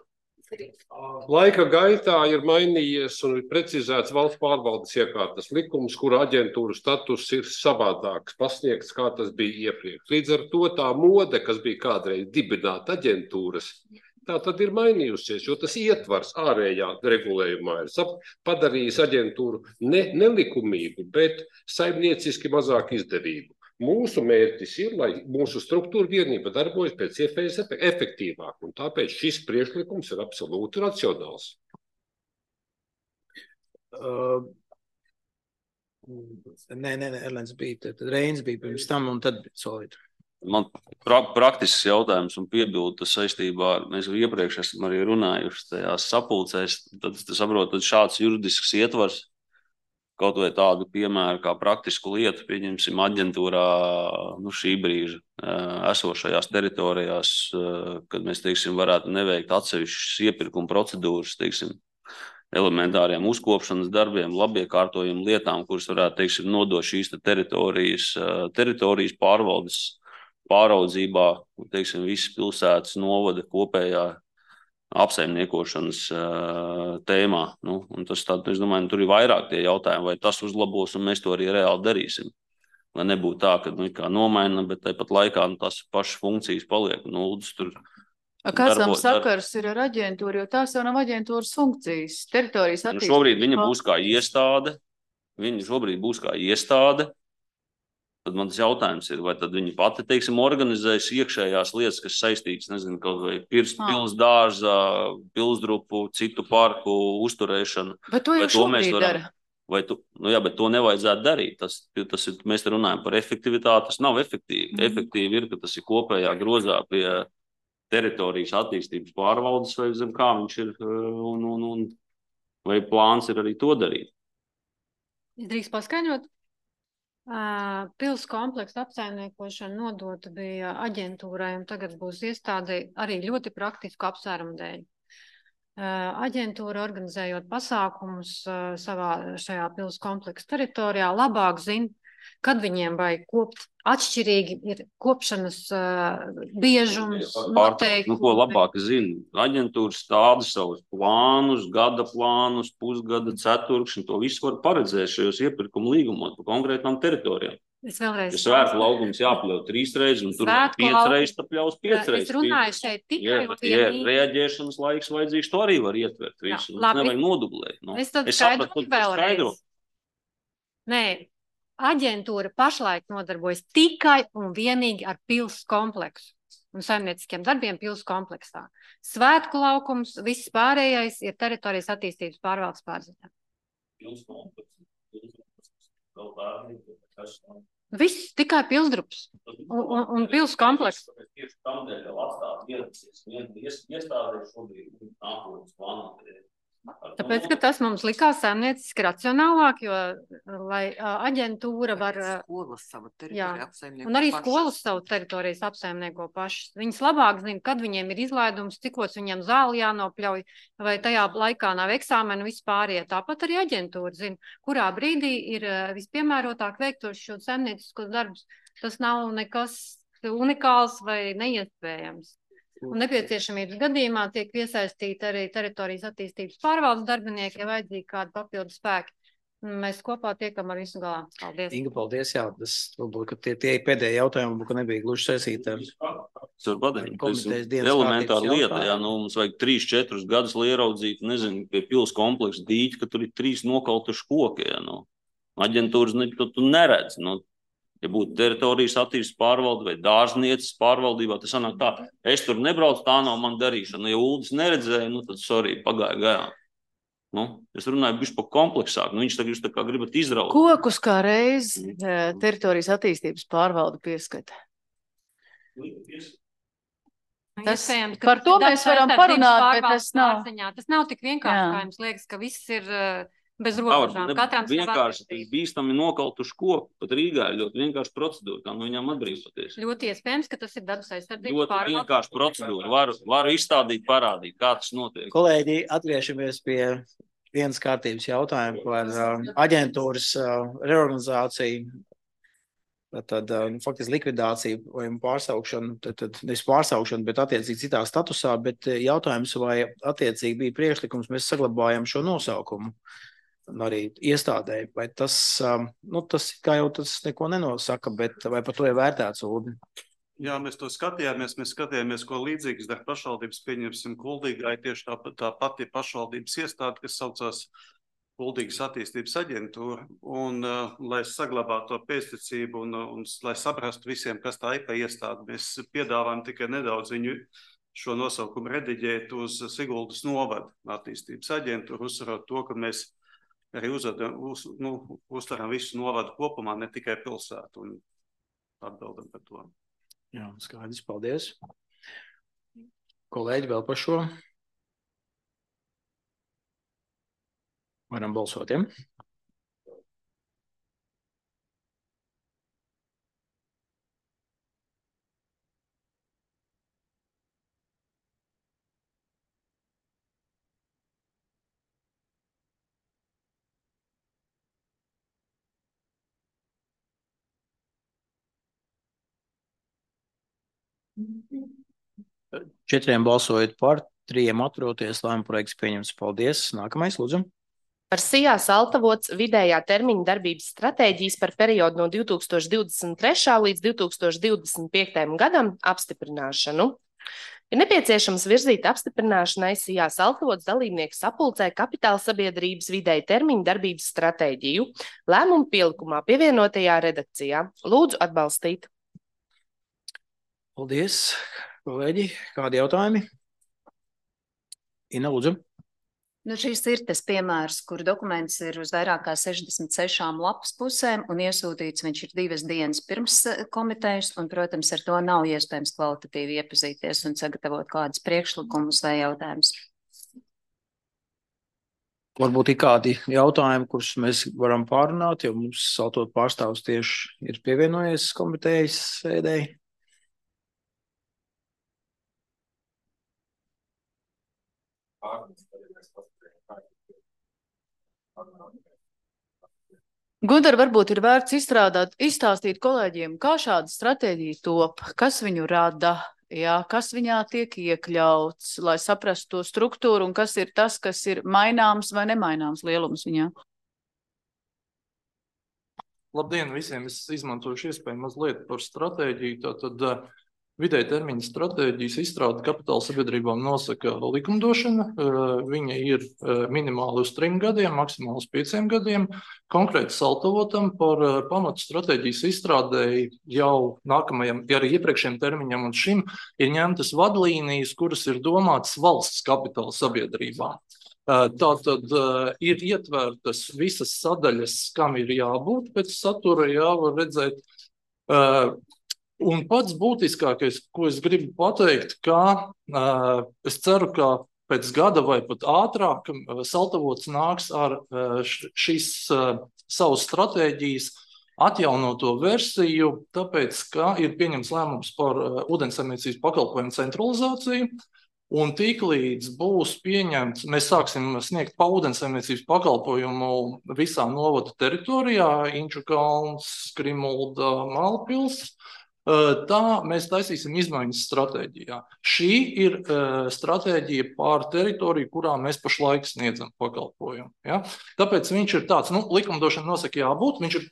Laika gaitā ir mainījies un ir precizēts valsts pārvaldes iekārtas likums, kura aģentūra status ir savādāks pasniegts, kā tas bija iepriekš. Līdz ar to tā mode, kas bija kādreiz dibināt aģentūras, tā tad ir mainījusies, jo tas ietvars ārējā regulējumā ir padarījis aģentūru nelikumīgu, bet saimnieciski mazāk izdevīgu. Mūsu mērķis ir, lai mūsu struktūra vienība darbojas pēc iespējas efektīvāk, un tāpēc šis priekšlikums ir absolūti racionāls. Nē, Erlens bija, tad Reinis bija pirms tam, un tad Solīta. Man praktisks jautājums un piebildu saistībā ar, mēs iepriekš esam arī runājuši tajās sapulcēs, tad saprotu, tad šāds juridisks ietvars, kaut vai tādu piemēru kā praktisku lietu, pieņemsim aģentūrā šī brīža esošajās teritorijās, kad mēs, teiksim, varētu neveikt atsevišķas iepirkuma procedūras, teiksim, elementāriem uzkopšanas darbiem, labiekārtojumu lietām, kuras varētu, teiksim, nodot šīs teritorijas pārvaldes pāraudzībā, teiksim, visas pilsētas novada kopējā apsaimniekošanas tēmā. Un tas tad, es domāju, tur ir vairāk tie jautājumi, vai tas uzlabos, un mēs to arī reāli darīsim. Lai nebūtu tā, ka kā nomaina, bet tāpat laikā tās pašas funkcijas paliek. Kāds tam sakars ir ar aģentūru, jo tās jau nav aģentūras funkcijas, teritorijas attīstības. Šobrīd viņa būs kā iestāde. Tad man tas jautājums ir, vai tad viņi pati, teiksim, organizēs iekšējās lietas, kas saistītas, nezinu, kaut vai pils dārza, pilsdrupu, citu parku uzturēšanu. Bet to jau šobrīd dara. Bet to nevajadzētu darīt. Tas ir, mēs runājam par efektivitāti, tas nav efektīvi. Efektīvi ir, ka tas ir kopējā grozā pie teritorijas attīstības pārvaldes, vai zem kā viņš ir, un vai plāns ir arī to darīt. Drīkst paskaidrot? Pils kompleksu apsaimniekošana nodota bija aģentūrai, un tagad būs iestādei arī ļoti praktisku apsvērumu dēļ. Aģentūra, organizējot pasākumus šajā pils kompleksu teritorijā, labāk zina, kad viņiem vajag kopt. Atšķirīgi ir kopšanas biežums, noteikumi. Ko labāk zina? Aģentūra stāda savus plānus, gada plānus, pusgada, ceturkšņi. To visu var paredzēt šajos iepirkuma līgumos par konkrētām teritorijām. Ja svētku laukums jāpļauj 3 reizes, un tur 5 reizes, tad pļaus 5 reizes. Es runāju šeit tikai ja reaģēšanas laiks vajadzīgs, to arī var ietvert visu. Nevajag nodublēt. Es tad skaidrotu vēlreiz. Nē. Aģentūra pašlaik nodarbojas tikai un vienīgi ar pils kompleksu un saimnieciskiem darbiem pils kompleksā. Svētku laukums, viss pārējais ir teritorijas attīstības pārvaldes pārziņā. Viss tikai pilsdrups un pils komplekss. Tieši tam dēļ vēl atstāt iestādē šobrīd nākotnes plānot. Tāpēc, ka tas mums likās saimnieciski racionālāk, jo, lai aģentūra var... Skolas savu teritoriju apsaimnieko un arī skolas savu teritorijas apsaimnieko pašas. Viņas labāk zina, kad viņiem ir izlaidums, cikos viņiem zāli jānopļauj, vai tajā laikā nav eksāmenu vispārie. Tāpat arī aģentūra zina, kurā brīdī ir vispiemērotāk veiktos šo saimnieciskos darbus. Tas nav nekas unikāls vai neiespējams. Un nepieciešamības gadījumā tiek iesaistīti arī teritorijas attīstības pārvaldes darbinieki, ja vajadzīgi kādi papildu spēki. Mēs kopā tiekam ar visu galā. Paldies. Inga, paldies. Jā, tas varbūt, ka tie pēdējie jautājumi, ka nebija gluži saistīti ar komitejas dienas elementāra lieta. Jā, mums vajag 3-4 gadus, lai ieraudzītu, nezinu, pie pils kompleksa dīķi, ka tur ir 3 nokautuši koki. Jā, aģentūras tu neredz. Ja būtu teritorijas attīstības pārvalde vai dārznieces pārvaldībā, tas sanāk tā, es tur nebraucu, tā nav man darīšana. Ja Uldis neredzēja, tad sorry, pagāja garām. Es runāju bišķi par kompleksāk, viņš tagad jūs tā kā gribat izraut. Kokus kā reiz teritorijas attīstības pārvalde pieskata. Par to mēs varam parunāt, bet tas nav. Tas nav tik vienkārši, kā jums liekas, ka viss ir... bez robežām. Vienkārši bīstami nokautuši koku. Pat Rīgā ir ļoti vienkārši procedūra, kā no viņām atbrīvoties. Ļoti iespējams, ka tas ir dabas aizsardzības ļoti vienkārši procedūra. Varu izstādīt, parādīt, kā tas notiek. Kolēģi, atgriežamies pie vienas kārtības jautājuma par aģentūras reorganizāciju. Tad faktiski likvidācija vai pārsaukšana, tad nevis pārsaukšana, bet attiecīgi citā statusā, bet jautājums, vai attiecīgi bija priekšlikums, mēs saglabājam šo nosaukumu arī iestādēji, vai tas, tas kā jau tas neko nenosaka, bet vai par to ir vērtēts, Uldi? Jā, mēs to skatījāmies, ko līdzīgas dar pašvaldības, pieņemsim Kuldīgai, tieši tā pati pašvaldības iestāde, kas saucās Kuldīgas attīstības aģentūra, un lai saglabātu to pēcticību un lai saprastu visiem, kas tā ir pa iestādi, mēs piedāvājam tikai nedaudz viņu šo nosaukumu rediģēt uz Siguldas novada attīstības aģentūru, uzsverot to, ka mēs arī uztveram visu novadu kopumā, ne tikai pilsētu, un atbildam par to. Jā, skaidrs, paldies. Kolēģi, vēl par šo? Varam balsot, ja? Četriem balsojot par, 3 atturoties, lēmuma projekts pieņemts. Paldies. Nākamais, lūdzu. Par Sijā Saltavots vidējā termiņa darbības stratēģijas par periodu no 2023. līdz 2025. gadam apstiprināšanu. Ir nepieciešams virzīt apstiprināšanai Sijā Saltavots dalībnieku sapulcē kapitāla sabiedrības vidēja termiņa darbības stratēģiju lēmumu pielikumā pievienotajā redakcijā. Lūdzu atbalstīt. Paldies, kolēģi. Kādi jautājumi? Ina, lūdzu. Šis ir tas piemērs, kur dokuments ir uz vairāk kā 66 lapas pusēm un iesūtīts viņš ir 2 dienas pirms komitejas un, protams, ar to nav iespējams kvalitatīvi iepazīties un sagatavot kādus priekšlikumus vai jautājumus. Varbūt ir kādi jautājumi, kurus mēs varam pārunāt, jo mums Saltot pārstāvs tieši ir pievienojies komitejas sēdēji. Gunter, varbūt ir vērts izstāstīt kolēģiem, kā šāda stratēģija top, kas viņu rada, jā, kas viņā tiek iekļauts, lai saprastu to struktūru un kas ir tas, kas ir maināms vai nemaināms lielums viņā. Labdien visiem! Es izmantošu iespēju mazliet par stratēģiju. Tātad vidēja termiņa stratēģijas izstrāde kapitāla sabiedrībām nosaka likumdošana. Viņa ir minimāli uz 3 gadiem, maksimāli uz 5 gadiem. Konkrēti Saltavotam par pamatu stratēģijas izstrādēji jau nākamajam, arī iepriekšējiem termiņam un šim ir ņemtas vadlīnijas, kuras ir domātas valsts kapitāla sabiedrībām. Tātad ir ietvērtas visas sadaļas, kam ir jābūt pēc satura, var redzēt. Un pats būtiskākais, ko es gribu pateikt, ka es ceru, ka pēc gada vai pat ātrāk Saltavots nāks ar šīs savas stratēģijas atjaunoto versiju, tāpēc, ka ir pieņemts lēmums par ūdensaimniecības pakalpojumu centralizāciju. Un tiklīdz būs pieņemts, mēs sāksim sniegt pa ūdensaimniecības pakalpojumu visā novada teritorijā, Inčukalns, Skrimulda, Mālpils. Tā mēs taisīsim izmaiņas stratēģijā. Šī ir stratēģija pār teritoriju, kurā mēs pašlaik sniedzam pakalpojumu. Ja? Tāpēc viņš ir tāds, likumdošana nosaka jābūt, viņš ir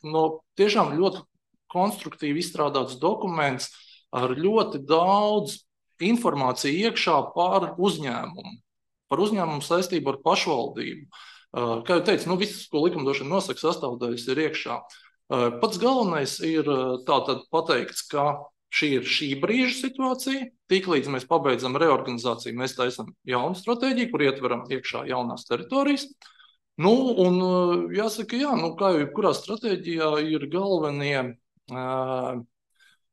tiešām ļoti konstruktīvi izstrādāts dokuments ar ļoti daudz informāciju iekšā par uzņēmumu. Par uzņēmumu saistību ar pašvaldību. Kā jau teicu, viss, ko likumdošana nosaka, sastāvdaļas ir iekšā. Pats galvenais ir tātad pateikts, ka šī ir šī brīža situācija. Tiklīdz mēs pabeidzam reorganizāciju, mēs taisam jaunu stratēģiju, kur ietveram iekšā jaunās teritorijas. Un jāsaka, kā jau jebkurā stratēģijā ir galvenie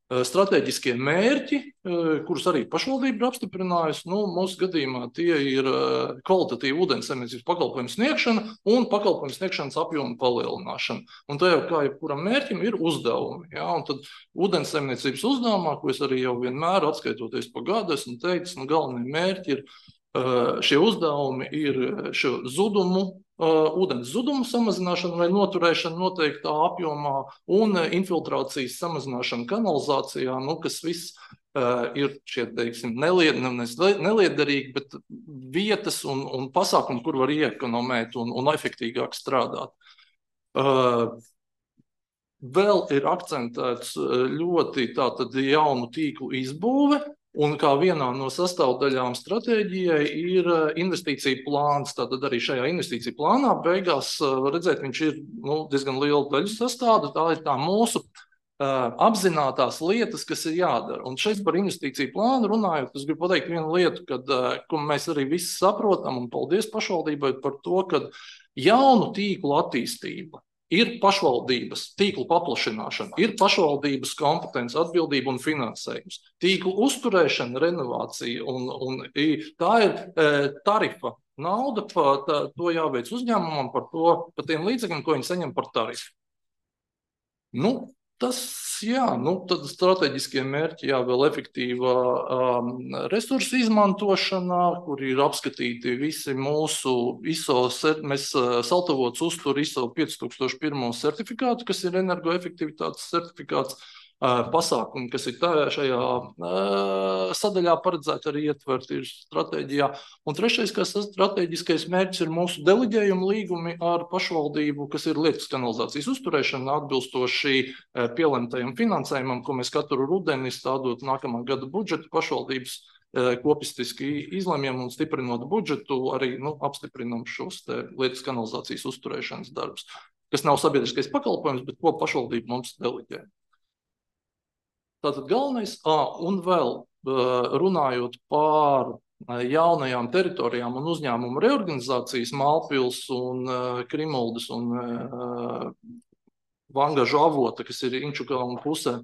stratēģiskie mērķi, kurus arī pašvaldība ir apstiprinājusi. Mūsu gadījumā tie ir kvalitatīva ūdensaimniecības pakalpojumu sniegšana un pakalpojumu sniegšanas apjoma palielināšana. Un tā jau kā jebkuram mērķim ir uzdevumi. Ja? Un tad ūdensaimniecības uzdevumā, ko es arī jau vienmēr atskaitoties pa gadu, esmu teicis, galvenie mērķi ir šie uzdevumi ir šo zudumu ūdens zudumu samazināšana vai noturēšana noteiktā apjomā un infiltrācijas samazināšana kanalizācijā, kas viss ir šie, teiksim, neliederīgi, bet vietas un pasākumi, kur var ieekonomēt un efektīgāk strādāt. Vēl ir akcentēts ļoti tātad jaunu tīklu izbūve, un kā vienā no sastāvdaļām stratēģijai ir investīcija plāns. Tātad arī šajā investīcija plānā beigās var redzēt, viņš ir diezgan liela daļa sastāvda. Tā ir tā mūsu apzinātās lietas, kas ir jādara. Un šeit par investīciju plānu runājot, es gribu pateikt vienu lietu, ko mēs arī visi saprotam, un paldies pašvaldībai par to, ka jaunu tīklu attīstība ir pašvaldības tīklu paplašināšana, ir pašvaldības kompetence, atbildība un finansējums. Tīklu uzturēšana, renovācija un tā ir tarifa nauda, to jāveic uzņēmumam par tiem līdzekļiem, ko viņi saņem par tarifu. Tas, tad strateģiskie mērķi, vēl efektīva resursu izmantošanā, kur ir apskatīti visi mūsu mēs Saltavots uztur ISO 5001 certifikātu, kas ir energoefektivitātes certifikāts, pasākumi, kas ir šajā sadaļā paredzēti arī ietvert ir stratēģijā. Un trešais, kas strateģiskais mērķis ir mūsu deleģējuma līgumi ar pašvaldību, kas ir lietas kanalizācijas uzturēšana atbilstoši pielemtajam finansējumam, ko mēs katru rudeni stādot nākamā gada budžetu pašvaldības kopistiski izlemjam un stiprinot budžetu, arī apstiprinam šos lietas kanalizācijas uzturēšanas darbus, kas nav sabiedriskais pakalpojums, bet ko pašvaldība mums deleģē. Tātad galvenais, un vēl runājot par jaunajām teritorijām un uzņēmumu reorganizācijas Mālpils un Krimuldas un Vangažu avota, kas ir Inčukalna pusē,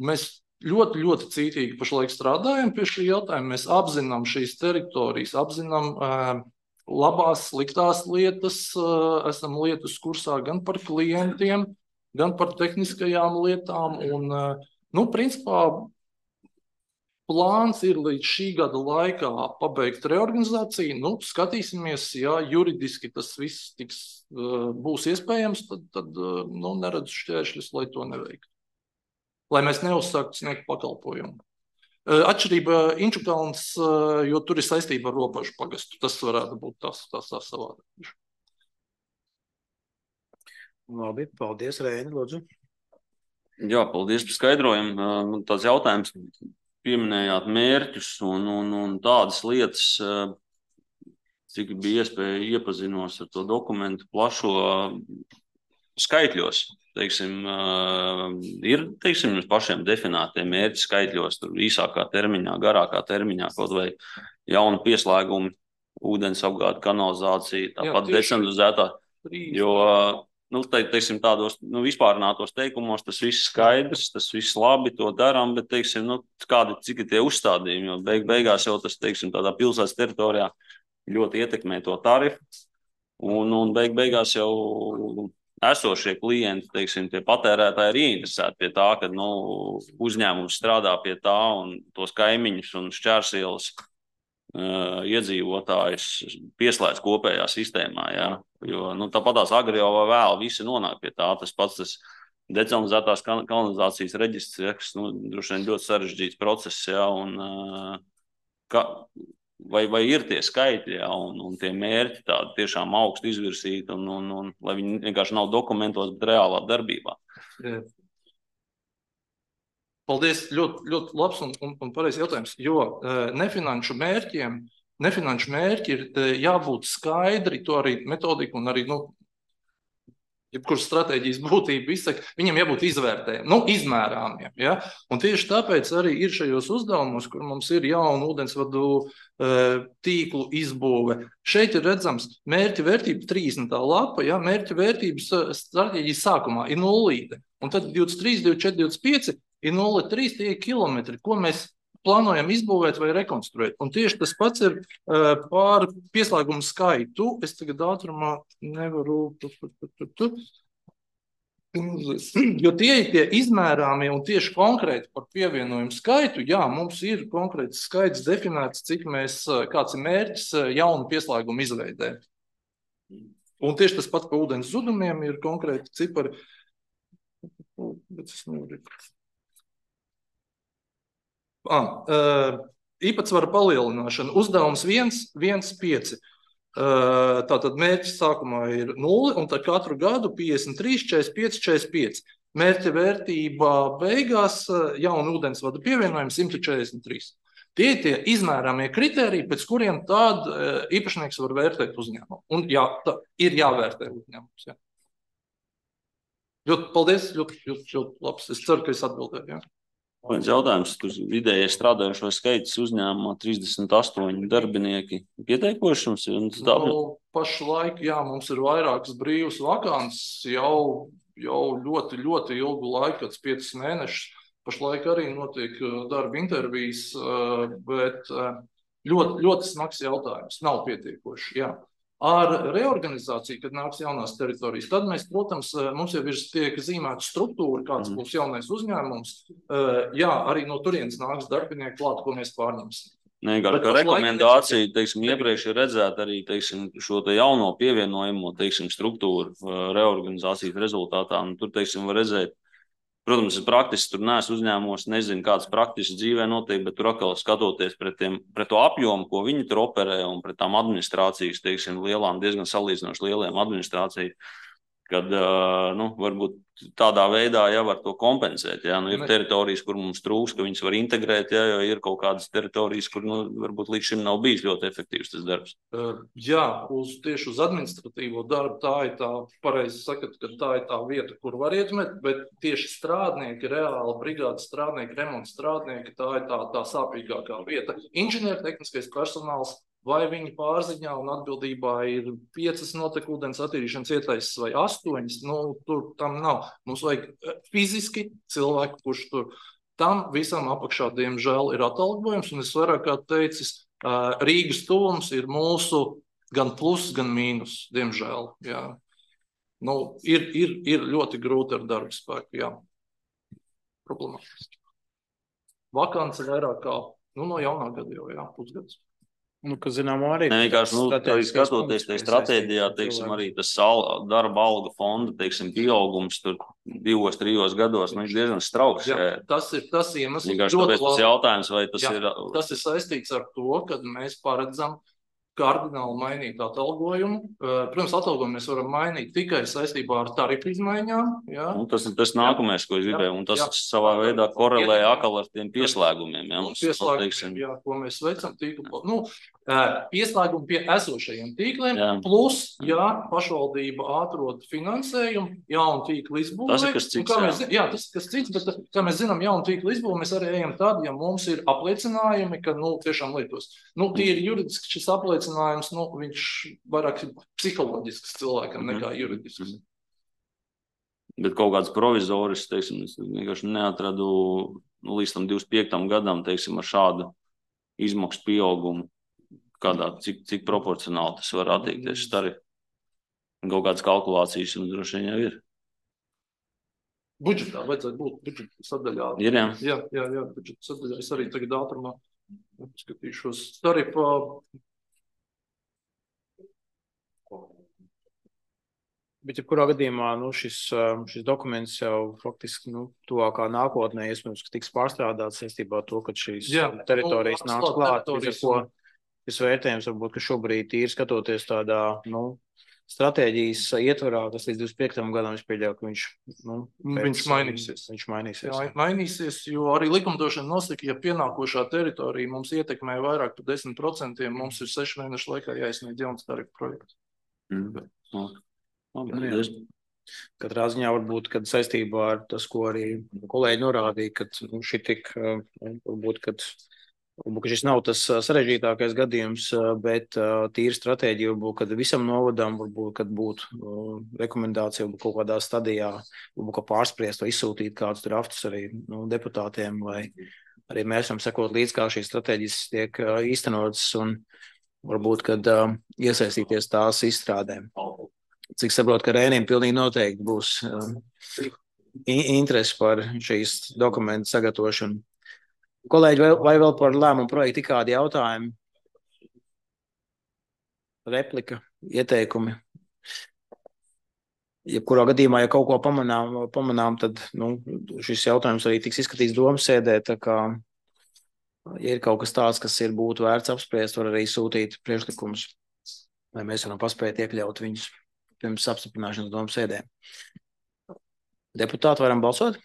mēs ļoti, ļoti cītīgi pašlaik strādājam pie šī jautājuma. Mēs apzinām šīs teritorijas, apzinām labās, sliktās lietas, esam lietas kursā gan par klientiem, gan par tehniskajām lietām. Un, principā, plāns ir līdz šī gada laikā pabeigt reorganizāciju. Skatīsimies, ja juridiski tas viss būs iespējams, tad neredzu šķēršļus, lai to neveiktu. Lai mēs neuzsāktu sniegt pakalpojumu. Atšķirība Inčukalns, jo tur ir saistība ar Robažu pagastu. Tas varētu būt tas savādāk. Labi, paldies, Reini, lūdzu. Jā, paldies par skaidrojumu. Tāds jautājums, pieminējāt mērķus un tādas lietas, cik bija iespēja iepazinos ar to dokumentu plašo skaitļos. Ir jums pašiem definētie mērķi skaitļos, tur īsākā termiņā, garākā termiņā, kaut vai jauna pieslēguma, ūdens apgāde, kanalizācija, tāpat decentralizētā, jo tādos vispārinātos teikumos tas viss skaidrs, tas viss labi, to darām, bet cik ir tie uzstādījumi, jo beigās jau tas, tādā pilsētas teritorijā ļoti ietekmē to tarifu, un beigās jau esošie klienti, tie patērētāji ir ieinteresēti pie tā, ka uzņēmums strādā pie tā un tos kaimiņus un šķērsielas iedzīvotājus pieslēdz kopējā sistēmā. Ja? Jo tāpatās agri jau vai vēl visi nonāk pie tā. Tas pats decentralizētās kanalizācijas reģistrs, kas droši vien ļoti sarežģīts process. Ja? Un, vai ir tie skaitļi, ja? un tie mērķi tādi tiešām augstu izvirsīti, un lai viņi vienkārši nav dokumentos, bet reālā darbībā. Jā. Paldies, ļoti, ļoti labs un pareizs jautājums, jo nefinanšu mērķi ir jābūt skaidri, to arī metodika un arī, jebkuras stratēģijas būtība izsaka, viņiem jābūt izmērāmiem. Ja? Un tieši tāpēc arī ir šajos uzdevumos, kur mums ir jauna ūdensvadu tīklu izbūve. Šeit ir redzams mērķa vērtība 30. lapa, ja? Mērķa vērtības stratēģijas sākumā ir 0, un tad 23, 24, 25 ir 0,3 tie kilometri, ko mēs plānojam izbūvēt vai rekonstruēt. Un tieši tas pats ir par pieslēgumu skaitu. Es tagad ātrumā nevaru. Jo tie ir tie izmērāmie un tieši konkrēti par pievienojumu skaitu. Jā, mums ir konkrēts skaits definēts, kāds ir mērķis jaunu pieslēgumu izveidē. Un tieši tas pats pa ūdens zudumiem ir konkrēti cipari. Bet es nevaru. Īpatsvara palielināšana. Uzdevums 1,5. Tātad mērķis sākumā ir 0, un tad katru gadu 53, 45, 45. Mērķa vērtība beigās jauna ūdensvada pievienojuma 143. Tie ir tie izmērāmie kriteriji, pēc kuriem tad īpašnieks var vērtēt uzņēmumu. Un jā, ir jāvērtē uzņēmums. Jā. Ļoti paldies, ļoti labs. Es ceru, ka es atbildēju. Jā. Viens jautājums, kur vidēji strādājušo skaits uzņēmumā 38 darbinieki pieteikoši jums? Pašlaik, jā, mums ir vairākas brīvas vakants jau ļoti, ļoti ilgu laiku, 5 mēnešus. Pašlaik arī notiek darba intervijas, bet ļoti, ļoti smags jautājums. Nav pietiekoši, jā. Ar reorganizāciju, kad nāks jaunās teritorijas, tad mēs, protams, mums jau ir tiek zīmēta struktūra, kāds būs jaunais uzņēmums. Jā, arī no turienes nāks darbinieki klāt, ko mēs pārņemsim. Vienkārši kā rekomendācija, teiksim, iepriekš ir redzēt arī, teiksim, šo te jauno pievienojamo, teiksim, struktūru reorganizācijas rezultātā. Un tur, teiksim, var redzēt, protams, es praktiski tur neesmu uzņēmumos, nezinu, kāds praktiski dzīvē notiek, bet tur atkal skatoties pret to apjomu, ko viņi tur operē un pret tām administrācijas, teiksim, lielām, diezgan salīdzinoši lieliem administrāciju, kad, varbūt tādā veidā jau var to kompensēt. Jā, ir teritorijas, kur mums trūks, ka viņas var integrēt, jā, jo ir kaut kādas teritorijas, kur, varbūt līdz šim nav bijis ļoti efektīvs tas darbs. Jā, tieši uz administratīvo darbu tā ir tā, pareizi sakat, ka tā ir tā vieta, kur var ietekmēt, bet tieši strādnieki, reāli brigādes strādnieki, remonta strādnieki, tā ir tā sāpīgākā vieta. Inženiertehniskais personāls, vai viņa pārziņā un atbildībā ir 5 notekūdens attīrīšanas ietaises vai 8, tur tam nav. Mums vajag fiziski cilvēku, kurš tur tam visam apakšā, diemžēl, ir atalgojums, un es vairāk kā teicis, Rīgas tuvums ir mūsu gan plus, gan mīnus, diemžēl, jā. Ir ļoti grūti ar darba spēku, jā. Problemātiski. Vakance vairāk kā, no jaunā gada jau, jā, pusgads. Kas zinām arī. Vienkārši, skatoties tajā stratēģijā, teiksim, arī tas darba alga fonda, teiksim, pieaugums tur 2-3 gados, viņš diezgan strauks. Jā, tas iemesls. Vienkārši tāpēc tas jautājums, vai tas ir... Tas ir saistīts ar to, kad mēs paredzam kardināli mainīt atalgojumu. Protams, atalgojumu mēs varam mainīt tikai saistībā ar tarifu izmaiņām. Jā. Tas ir tas nākamais, ko es gribēju, un tas savā veidā korelē atkal ar tiem pieslēgumiem. Jā, ko mēs veicam tīklu. Pieslēgumu pie esošajiem tīkliem, plus, jā, pašvaldība atrod finansējumu, jaunu tīklu izbūvē. Tas ir kas cits, jā, tas ir kas cits, bet, kā mēs zinām, jaunu tīklu izbūvē, mēs arī ejam tad, ja mums ir apliecinājumi, ka, tiešām lietos. Tīri juridiski šis apliecinājums, viņš vairāk ir psiholoģisks cilvēkam nekā juridisks. Bet kaut kāds provizoris, teiksim, es vienkārši neatradu līdz tam 25. gadam, teiksim, ar šādu izmaksu pieaugumu. Cik proporcionāli tas var attiekties tarifu. Kaut kādas kalkulācijas un droši vien jau ir. Budžetā vajadzētu būt budžeta sadaļā. Ir, jā. Jā, budžeta sadaļā. Es arī tagad ātrumā skatīšos tarifā. Bet, ja kurā gadījumā šis dokuments jau faktiski tuvākā nākotnē, iespējams, ka tiks pārstrādāts saistībā ar to, ka šīs teritorijas nāks klāt, šis vērtējums varbūt, ka šobrīd ir skatoties tādā, stratēģijas ietvarā, kas līdz 25. gadam es pieļauju, ka viņš mainīsies. Jā, mainīsies, jo arī likumdošana nosaka, ja pienākošā teritorija mums ietekmē vairāk par 10%, mums ir 6 mēnešu laikā jāizsniedz jauns tarifu projekts. Katrā ziņā varbūt, kad saistībā ar tas, ko arī kolēģi norādīja, kad varbūt, ka šis nav tas sarežģītākais gadījums, bet tīri stratēģija varbūt, kad visam novadam, varbūt, kad būtu rekomendācija varbūt kaut kādā stadijā, varbūt, ka pārspriest vai izsūtīt kādus draftus arī deputātiem, vai arī mēs varam sekot līdz, kā šīs stratēģijas tiek īstenotas un varbūt, kad iesaistīties tās izstrādēm. Cik saprotu, ka Rēnim pilnīgi noteikti būs interesi par šīs dokumentu sagatavošanu. Kolēģi, vai vēl par lēmumu projektu kādi jautājumi? Replika, ieteikumi? Jebkurā gadījumā, ja kaut ko pamanām, tad šis jautājums arī tiks izskatīts domas sēdē, tā kā, ja ir kaut kas tāds, kas būtu vērts apspriest, var arī sūtīt priekšlikumus, lai mēs varam paspēt iekļaut viņus pirms apstiprināšanas domas sēdē. Deputāti, varam balsot?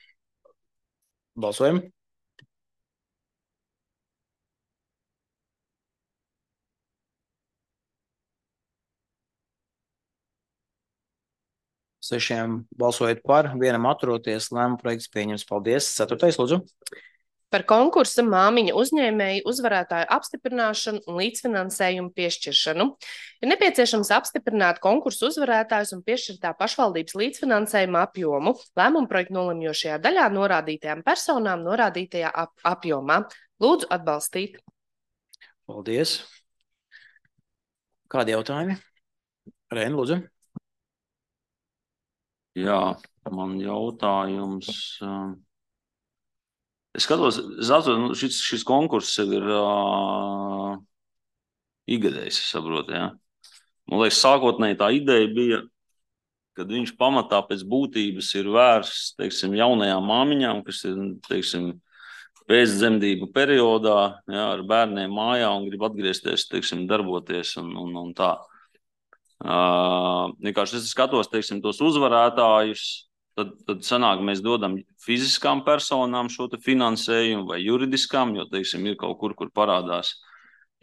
Balsojam. Sešiem balsojot par, vienam atturoties, lēmuma projekts pieņems. Paldies. 4. lūdzu. Par konkursa māmiņa uzņēmēju uzvarētāju apstiprināšanu un līdzfinansējumu piešķiršanu. Ir nepieciešams apstiprināt konkursu uzvarētājus un piešķirtā pašvaldības līdzfinansējuma apjomu. Lēmuma projekta nolemjošajā daļā norādītajām personām norādītajā apjomā. Lūdzu atbalstīt. Paldies. Kādi jautājumi? Rēna, lūdzu. Jā, man jautājums... Es skatos, šis konkurss jau ir igadējis, es saprotu, jā. Man liekas, sākotnēji tā ideja bija, kad viņš pamatā pēc būtības ir vērsts, teiksim, jaunajām māmiņām, kas ir, teiksim, pēcdzemdību periodā, jā, ar bērniem mājā un grib atgriezties, teiksim, darboties un tā. Vienkārši es skatos, teiksim, tos uzvarētājus, tad sanāk, mēs dodam fiziskām personām šo te finansējumu vai juridiskām, jo, teiksim, ir kaut kur parādās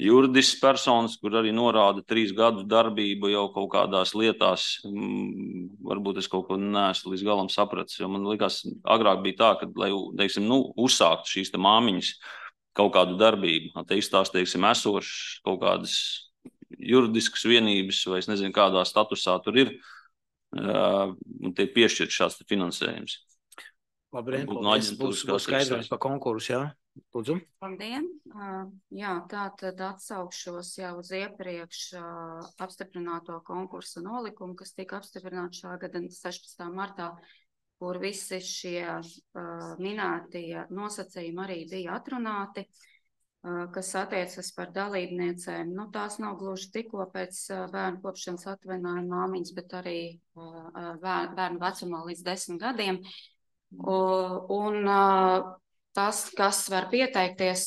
juridisks personas, kur arī norāda 3 gadu darbību jau kaut kādās lietās. Varbūt es kaut ko neesmu līdz galam sapratis, jo man likās, agrāk bija tā, ka, lai, teiksim, uzsākt šīs te māmiņas kaut kādu darbību, attīstās, teiksim, esošas kaut kādas juridiskas vienības, vai es nezinu, kādā statusā tur ir, un tiek piešķirt šāds finansējums. Labi, paldies. Būs skaidrojums par konkursu, jā? Lūdzu. Labdien. Jā, tā tad atsaukšos jau uz iepriekš apstiprināto konkursa nolikumu, kas tika apstiprināts šā gada 16. martā, kur visi šie minētie nosacījumi arī bija atrunāti, kas attiecas par dalībniecēm. Nu, tās nav gluži tikko pēc bērnu kopšanas atvaļinājuma māmiņas, bet arī bērnu vecumā līdz 10 gadiem. Un tas, kas var pieteikties,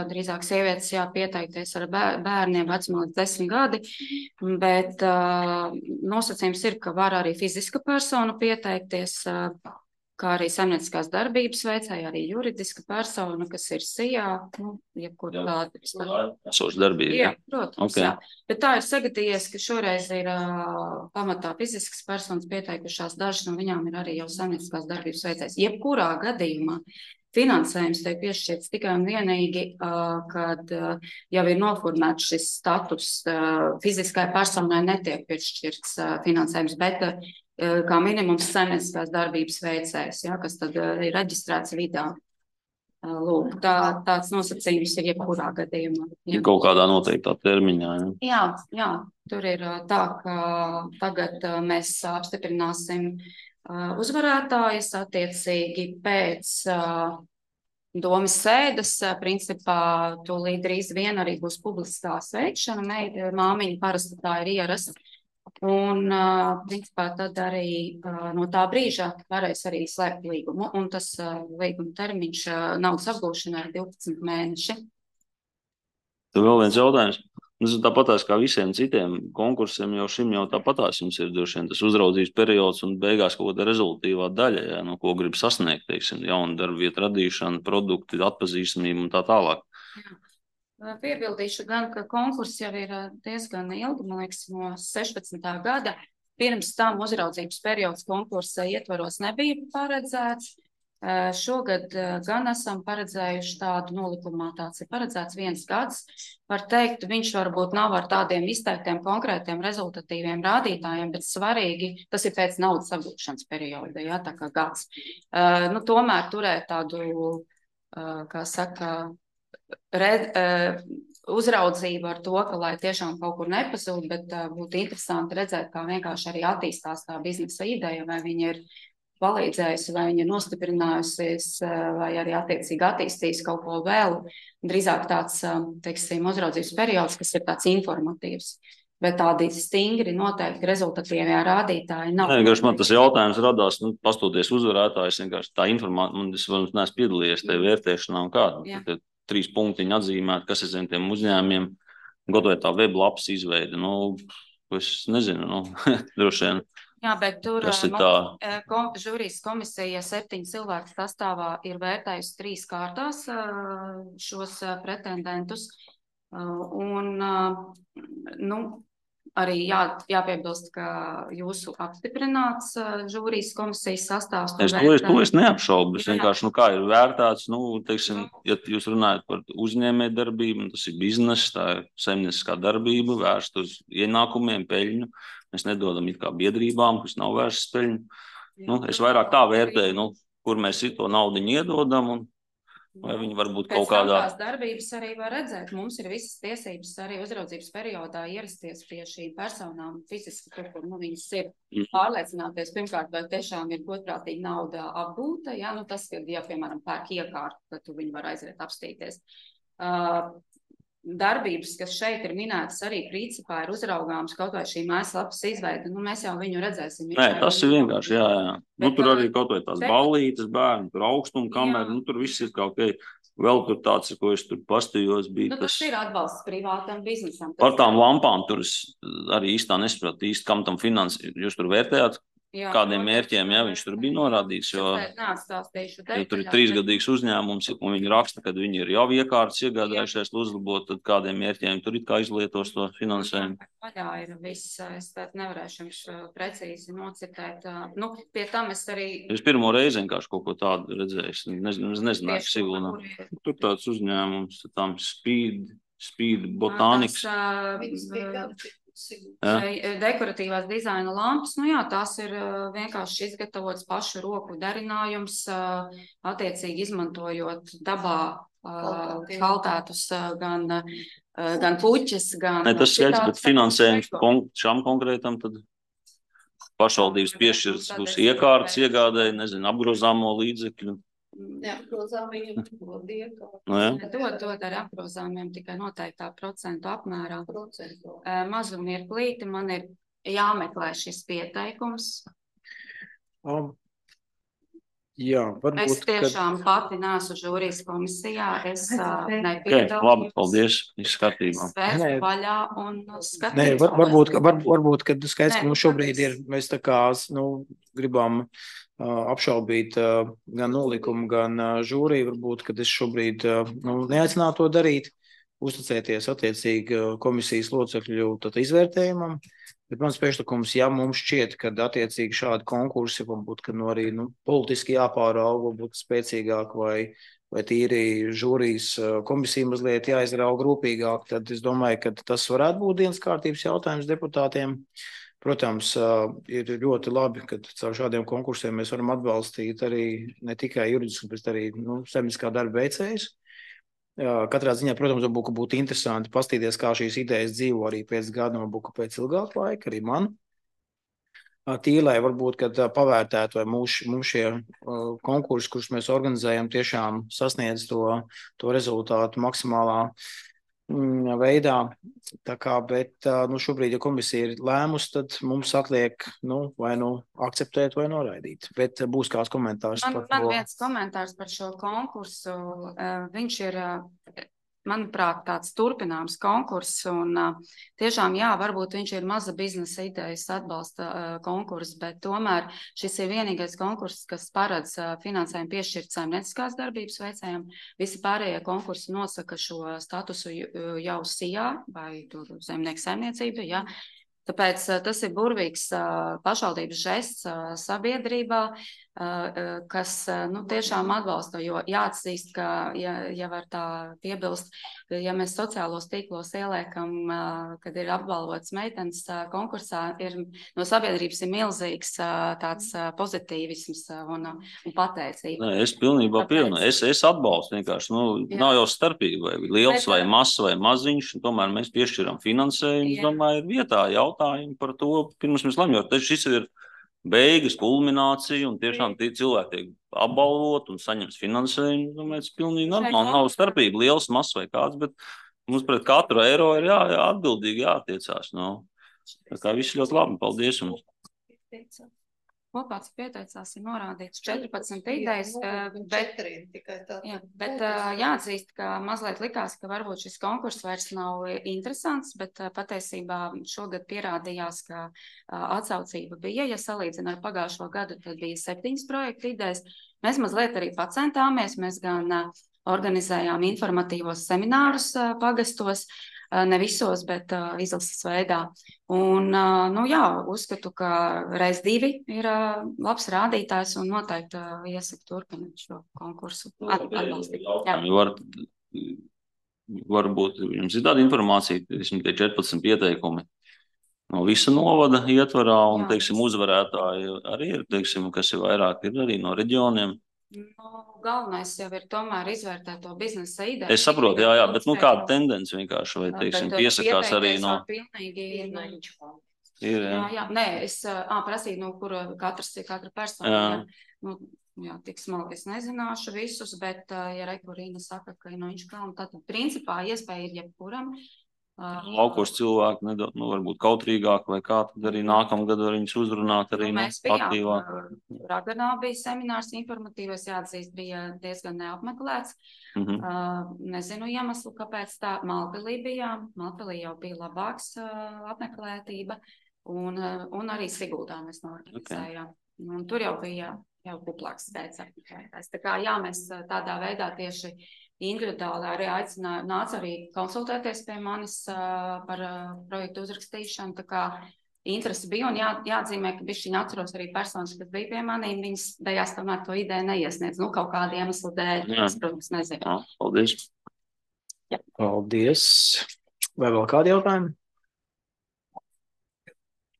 drīzāk sievietes pieteikties ar bērniem vecumā līdz 10 gadi, bet nosacījums ir, ka var arī fiziska persona pieteikties, kā arī saimnieciskās darbības veicēja, arī juridiska persona, kas ir SIA, jebkur tāda. Esoša darbība. Jā, protams, okay. Jā. Bet tā ir sagadījies, ka šoreiz ir pamatā fiziskas personas pieteikušās, dažas no viņām ir arī jau saimnieciskās darbības veicējas. Jebkurā gadījumā finansējums tiek piešķirts tikai un vienīgi, kad jau ir noformēts šis status, fiziskai personai netiek piešķirts finansējums, bet kā minimums saimnieciskās darbības veicējs, kas tad ir reģistrēts vidā. Lūk, tāds nosacījums ir jebkurā gadījumā. Ir kaut kādā noteiktā termiņā, jā? Jā, tur ir tā, ka tagad mēs apstiprināsim uzvarētājas attiecīgi pēc domas sēdes. Principā tūlīt drīz vien arī būs publiskā sveikšana, māmiņa parasti tā ir ierasta. Un, principā, tad arī no tā brīža varēs arī slēgt līgumu. Un tas līguma termiņš naudas apgūšanai ir 12 mēneši. Tad vēl viens jautājums. Tāpatās kā visiem citiem konkursiem, jau šim jau tāpatās jums ir droši vien tas uzraudzības periods un beigās kaut kāda rezultīvā daļa, no ko grib sasniegt, teiksim, jaunu darbu vietu radīšanu, produktu, atpazīstamību un tā tālāk. Jā. Piebildīšu gan, ka konkurss jau ir diezgan ilgi, man liekas, no 16. gada. Pirms tam uzraudzības periods konkursa ietvaros nebija paredzēts. Šogad gan esam paredzējuši tādu nolikumā, tāds ir paredzēts 1 gads. Var teikt, viņš varbūt nav ar tādiem izteiktiem konkrētiem rezultatīviem rādītājiem, bet svarīgi, tas ir pēc naudas apgūšanas perioda, tā kā gads. Tomēr turēt tādu, kā saka, uzraudzību ar to, ka lai tiešām kaut kur nepazūd, bet būtu interesanti redzēt, kā vienkārši arī attīstās tā biznesa ideja, vai viņa ir palīdzējusi, vai viņa ir nostiprinājusies, vai arī attiecīgi attīstījis kaut ko vēl. Drīzāk tāds, teiksim, uzraudzības periods, kas ir tāds informatīvs. Bet tādi stingri noteikti rezultatīvie rādītāji nav. Vienkārši man tas jautājums radās, pastoties uzvarētājs, vienkārši tā informācija, es neesmu piedalījies tajā vērtēšanā un kāda. 3 punktiņi atzīmēt, kas ir zem tiem uzņēmumiem, gatavot tā weblapas izveidi. Es nezinu, droši vien. Jā, bet tur žūrijas komisija 7 cilvēku sastāvā ir vērtējusi 3 kārtās šos pretendentus. Un, arī jāpiebilst, ka jūsu apstiprināts žūrijas komisijas sastāvs. To es neapšaubu. Vienkārši, kā ir vērtēts, teiksim, ja jūs runājat par uzņēmējdarbību, tas ir bizness, tā ir saimnieciskā darbība, vērst uz ienākumiem, peļņu. Mēs nedodam it kā biedrībām, kas nav vērsts peļņu. Es vairāk tā vērtēju, kur mēs to naudiņu iedodam un vai viņi varbūt kaut kādā... Pēc tās darbības arī var redzēt, mums ir visas tiesības arī uzraudzības periodā ierasties pie šīm personām fiziski, kur viņas ir pārliecināties, pirmkārt, vai tiešām ir godprātīgi nauda apgūta, tas, ja, piemēram, pērk iekārtu, tad tu viņi var aiziet apstīties. Darbības, kas šeit ir minētas arī principā ir uzraugāms kaut vai šī mājaslapas izveida, mēs jau viņu redzēsim. Nē, tas ir vienkārši, jā. Tur arī kaut vai tās ballītes, bērni, tur augstuma kamera, tur viss ir kaut kā, vēl tur tāds, ko es tur pastījos, bija tas ir atbalsts privātam biznesam. Par tām lampām tur es arī īstā nesapratu kam tam finansi, jūs tur vērtējāt? Kādiem mērķiem, viņš tur bija norādīts, jo tur ir 3-gadīgs uzņēmums, un viņi raksta, kad viņi ir jau iekārtas iegādājušies uzlabot, tad kādiem mērķiem tur it kā izlietos to finansējumu. Vaļā ir viss, es nevarēšu jums precīzi nocitēt. Pie tam es arī... Es pirmo reizi vienkārši kaut ko tādu redzēju, nezināju, Sigulnā. Tur tāds uzņēmums, tam Speed Botanics. Dekoratīvās dizaina lampas, tās ir vienkārši izgatavotas pašu roku darinājums, attiecīgi izmantojot dabā kaltētus gan puķes, gan... Tas skaidrs, bet finansējums šām konkrētam tad pašvaldības piešķirs būs iekārtas iegādēji, apgrozāmo līdzekļu. Neapgrozāmiem dod iekārtas. Dod ar apgrozāmiem tikai noteiktā procentu apmērā. Mazu mirklīti man ir jāmeklē šis pieteikums. Varbūt, es tiešām pati neesmu žūrijas komisijā, es nepiedalos. Labi, paldies, viss kārtībā. Svērt vaļā un skatīt. Varbūt, kad skaidrs, ka mums šobrīd ir, mēs tā kā, gribam apšaubīt gan nolikumu, gan žūriju, varbūt, kad es šobrīd neaicinātu to darīt, uzticēties attiecīgi komisijas locekļu izvērtējumam, bet mans priekšlikums, ja mums šķiet, ka attiecīgi šādi konkursi, varbūt, ka arī politiski jāpārauga, varbūt spēcīgāk vai tīri žūrijas komisija mazliet jāizrauga rūpīgāk, tad es domāju, ka tas varētu būt dienas kārtības jautājums deputātiem. Protams, ir ļoti labi, ka caur šādiem konkursiem mēs varam atbalstīt arī ne tikai juridisku, bet arī saimnieciskā darba veicējus. Katrā ziņā, protams, būtu interesanti pastīties, kā šīs idejas dzīvo arī pēc gada, pēc ilgāka laika, arī man. Tīlai varbūt, kad pavērtētu, vai mums šie konkursi, kurus mēs organizējam, tiešām sasniedz to rezultātu maksimālā veidā. Bet šobrīd, ja komisija ir lēmusi, tad mums atliek vai akceptēt vai noraidīt. Bet būs kāds komentārs par to. Man viens komentārs par šo konkursu. Viņš ir, manuprāt, tāds turpināms konkurss. Un tiešām, varbūt viņš ir maza biznesa idejas atbalsta konkurss, bet tomēr šis ir vienīgais konkurss, kas paredz finansējumu piešķirt saimnieciskās darbības veicējiem. Visi pārējie konkursi nosaka šo statusu jau SIA vai zemnieku saimniecība, Tāpēc tas ir burvīgs pašvaldības žests sabiedrībā, kas tiešām atbalsta, jo jāatzīst, ka, ja var tā piebilst, ja mēs sociālos tīklos ieliekam, kad ir apbalvots meitenes konkursā, no sabiedrības ir milzīgs tāds pozitīvisms un pateicība. Nē, es pilnībā pievienoju. Es atbalstu vienkārši. Nav jau starpība, vai liels, vai mazs, vai maziņš, un tomēr mēs piešķiram finansējumu. Es domāju, ir vietā jautājumi par to, pirms mēs lemjot. Šis ir beigas, kulminācija, un tiešām tie cilvēki tiek apbalvot un saņems finansējumu. Domāju, tas pilnīgi normāli. Nav starpība liels, mazs vai kāds, bet Mums pret katru eiro ir atbildīgi jātiecās. Tā kā viss ļoti labi. Paldies jums. Kopā, cik pieteicās, ir norādīts 14 idejas, bet jāatzīst, ka mazliet likās, ka varbūt šis konkurss vairs nav interesants, bet patiesībā šogad pierādījās, ka atsaucība bija, ja salīdzina ar pagājušo gadu, tad bija 7 projektu idejas. Mēs mazliet arī pacentāmies, mēs gan organizējām informatīvos seminārus pagastos, ne visos, bet izlases veidā. Un, uzskatu, ka reiz 2 ir labs rādītājs un noteikti iesaku turpināt šo konkursu atbalstīt. Varbūt jums ir tāda informācija, tie 14 pieteikumi no visa novada ietvarā un, teiksim, uzvarētāji arī ir, teiksim, kas ir vairāk, ir arī no reģioniem. Galvenais jau ir tomēr izvērtēt to biznesa ideju. Es saprotu, bet kāda tendence vienkārši, vai, teiksim, piesakās arī no... Nē, es prasīju, katra persona. Tik smalki es nezināšu visus, bet, ja Rekurīna saka, ka viņš kā, tad principā iespēja ir jebkuram. Laukos cilvēki, varbūt kautrīgāk vai kā, tad arī nākamgad var viņus uzrunāt arī aktīvāk. Raganā bija seminārs informatīvais, jāatzīst, bija diezgan neapmeklēts. Nezinu iemeslu, kāpēc tā. Malpilī bijām. Malpilī jau bija labāks apmeklētība un arī Siguldā mēs norganizējām. Un tur jau bija kuplāks skaits apmeklētājs. Tā kā mēs tādā veidā tieši individuāli arī aicināju, nāca arī konsultēties pie manis par projektu uzrakstīšanu, tā kā interesi bija un jāatzīmē, ka bišķiņ atceros arī personas, kas bija pie manīm, viņas beigās tomēr to ideju neiesniedz, kaut kādu iemeslu dēļ, es, protams, nezinu. Paldies. Paldies. Vai vēl kādi jautājumi?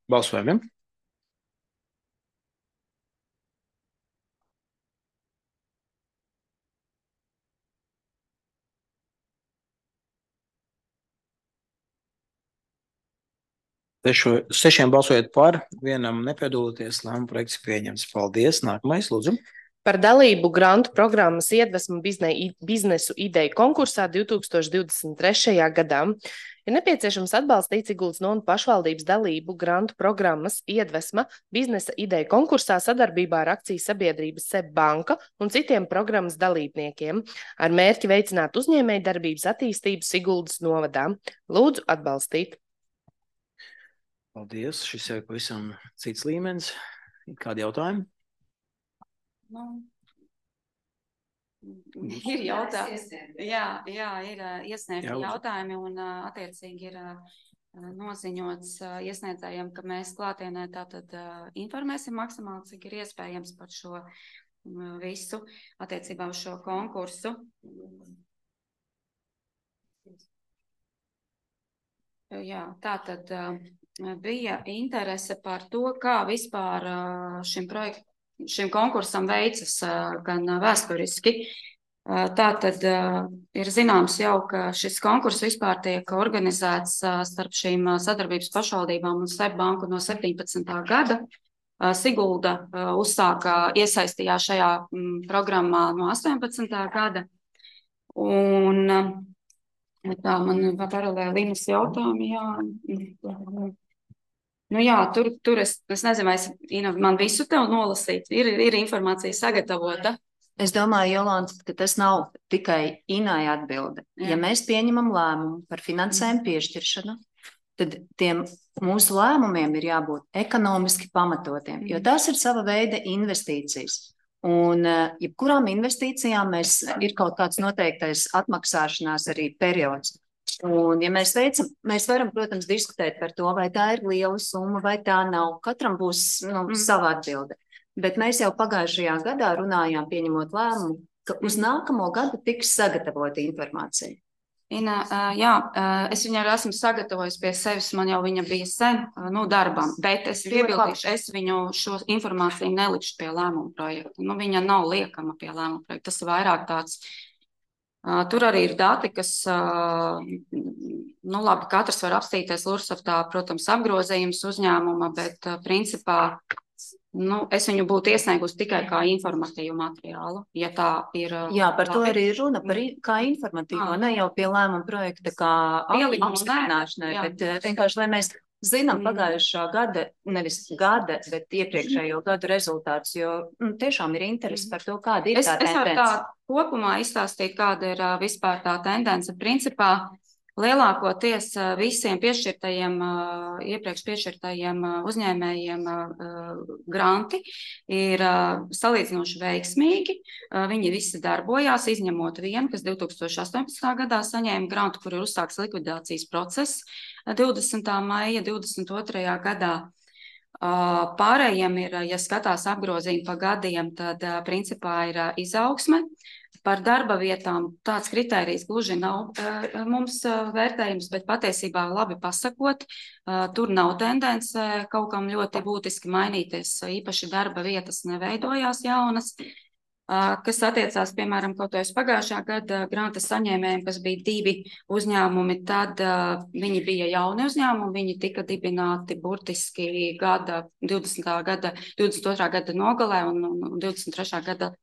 Balsojumiem. Sešiem balsojot par, vienam nepiedaloties, lēmuma projekts pieņems. Paldies. Nākamais, lūdzu. Par dalību grantu programmas Iedvesmu biznesu ideju konkursā 2023. gadā ir nepieciešams atbalstīt Siguldas novadas pašvaldības dalību grantu programmas Iedvesma biznesa ideju konkursā sadarbībā ar akcijas sabiedrības SEB banka un citiem programmas dalībniekiem ar mērķi veicināt uzņēmēju darbības attīstību Siguldas novadā. Lūdzu atbalstīt. Paldies. Šis ir pavisam cits līmenis. Kādi jautājumi? Ir jautājumi. Ir iesniegti jautājumi un attiecīgi ir noziņots iesniedzējiem, ka mēs klātienē tātad informēsim maksimāli, cik ir iespējams par šo visu attiecībā uz šo konkursu. Tātad bija interese par to, kā vispār šim konkursam veicas gan vēsturiski. Tātad ir zināms jau, ka šis konkurss vispār tiek organizēts starp šīm sadarbības pašvaldībām un SEB banku no 17. gada. Sigulda iesaistījās šajā programmā no 18. gada. Un tā man paralēli Linas jautājumi, tur es nezinu, vai man visu tev nolasīt, ir informācija sagatavota. Es domāju, Jolanta, ka tas nav tikai Inai atbilde. Ja mēs pieņemam lēmumu par finansējumu piešķiršanu, tad tiem mūsu lēmumiem ir jābūt ekonomiski pamatotiem, jo tas ir sava veida investīcijas. Un jebkurām investīcijām ir kaut kāds noteiktais atmaksāšanās arī periods. Un, ja mēs varam, protams, diskutēt par to, vai tā ir liela summa, vai tā nav. Katram būs sava atbilde. Bet mēs jau pagājušajā gadā runājām, pieņemot lēmumu, ka uz nākamo gadu tiks sagatavota informācija. Ina, es viņu arī esmu sagatavojis pie sevis, man jau viņa bija sen darbam, bet es piebildīšu, es viņu šo informāciju nelikšu pie lēmuma projekta. Viņa nav liekama pie lēmuma projekta, tas ir vairāk tāds. Tur arī ir dati, kas, labi, katrs var apstīties Lursoftā, protams, apgrozījums uzņēmuma, bet principā es viņu būtu iesniegusi tikai kā informatīvu materiālu, ja tā ir. Jā, par to labi. arī runa, kā informatīvo, ne jau pie lēmuma projekta, kā apstiprināšanai, bet vienkārši, lai mēs zinām pagājušā gada, nevis gada, bet iepriekšējo gadu rezultātus, jo tiešām ir interesi par to, kāda ir tā tendence. Es varu tā kopumā izstāstīt, kāda ir vispār tā tendence. Principā, lielākoties visiem piešķirtajiem, iepriekš piešķirtajiem uzņēmējiem granti ir salīdzinoši veiksmīgi. Viņi visi darbojās, izņemot vienu, kas 2018. gadā saņēma grantu, kur ir uzsāks likvidācijas process 20. maija 22. gadā. Pārējiem ir, ja skatās apgrozījumi pa gadiem, tad principā ir izaugsme. Par darba vietām tāds kritērijs gluži nav mums vērtējums, bet patiesībā labi pasakot, tur nav tendence kaut kam ļoti būtiski mainīties. Īpaši darba vietas neveidojās jaunas, kas attiecās, piemēram, kaut vai uz pagājušā gada granta saņēmējiem, kas bija 2 uzņēmumi, tad viņi bija jauni uzņēmumi, viņi tika dibināti burtiski 22. gada nogalē un 23. gada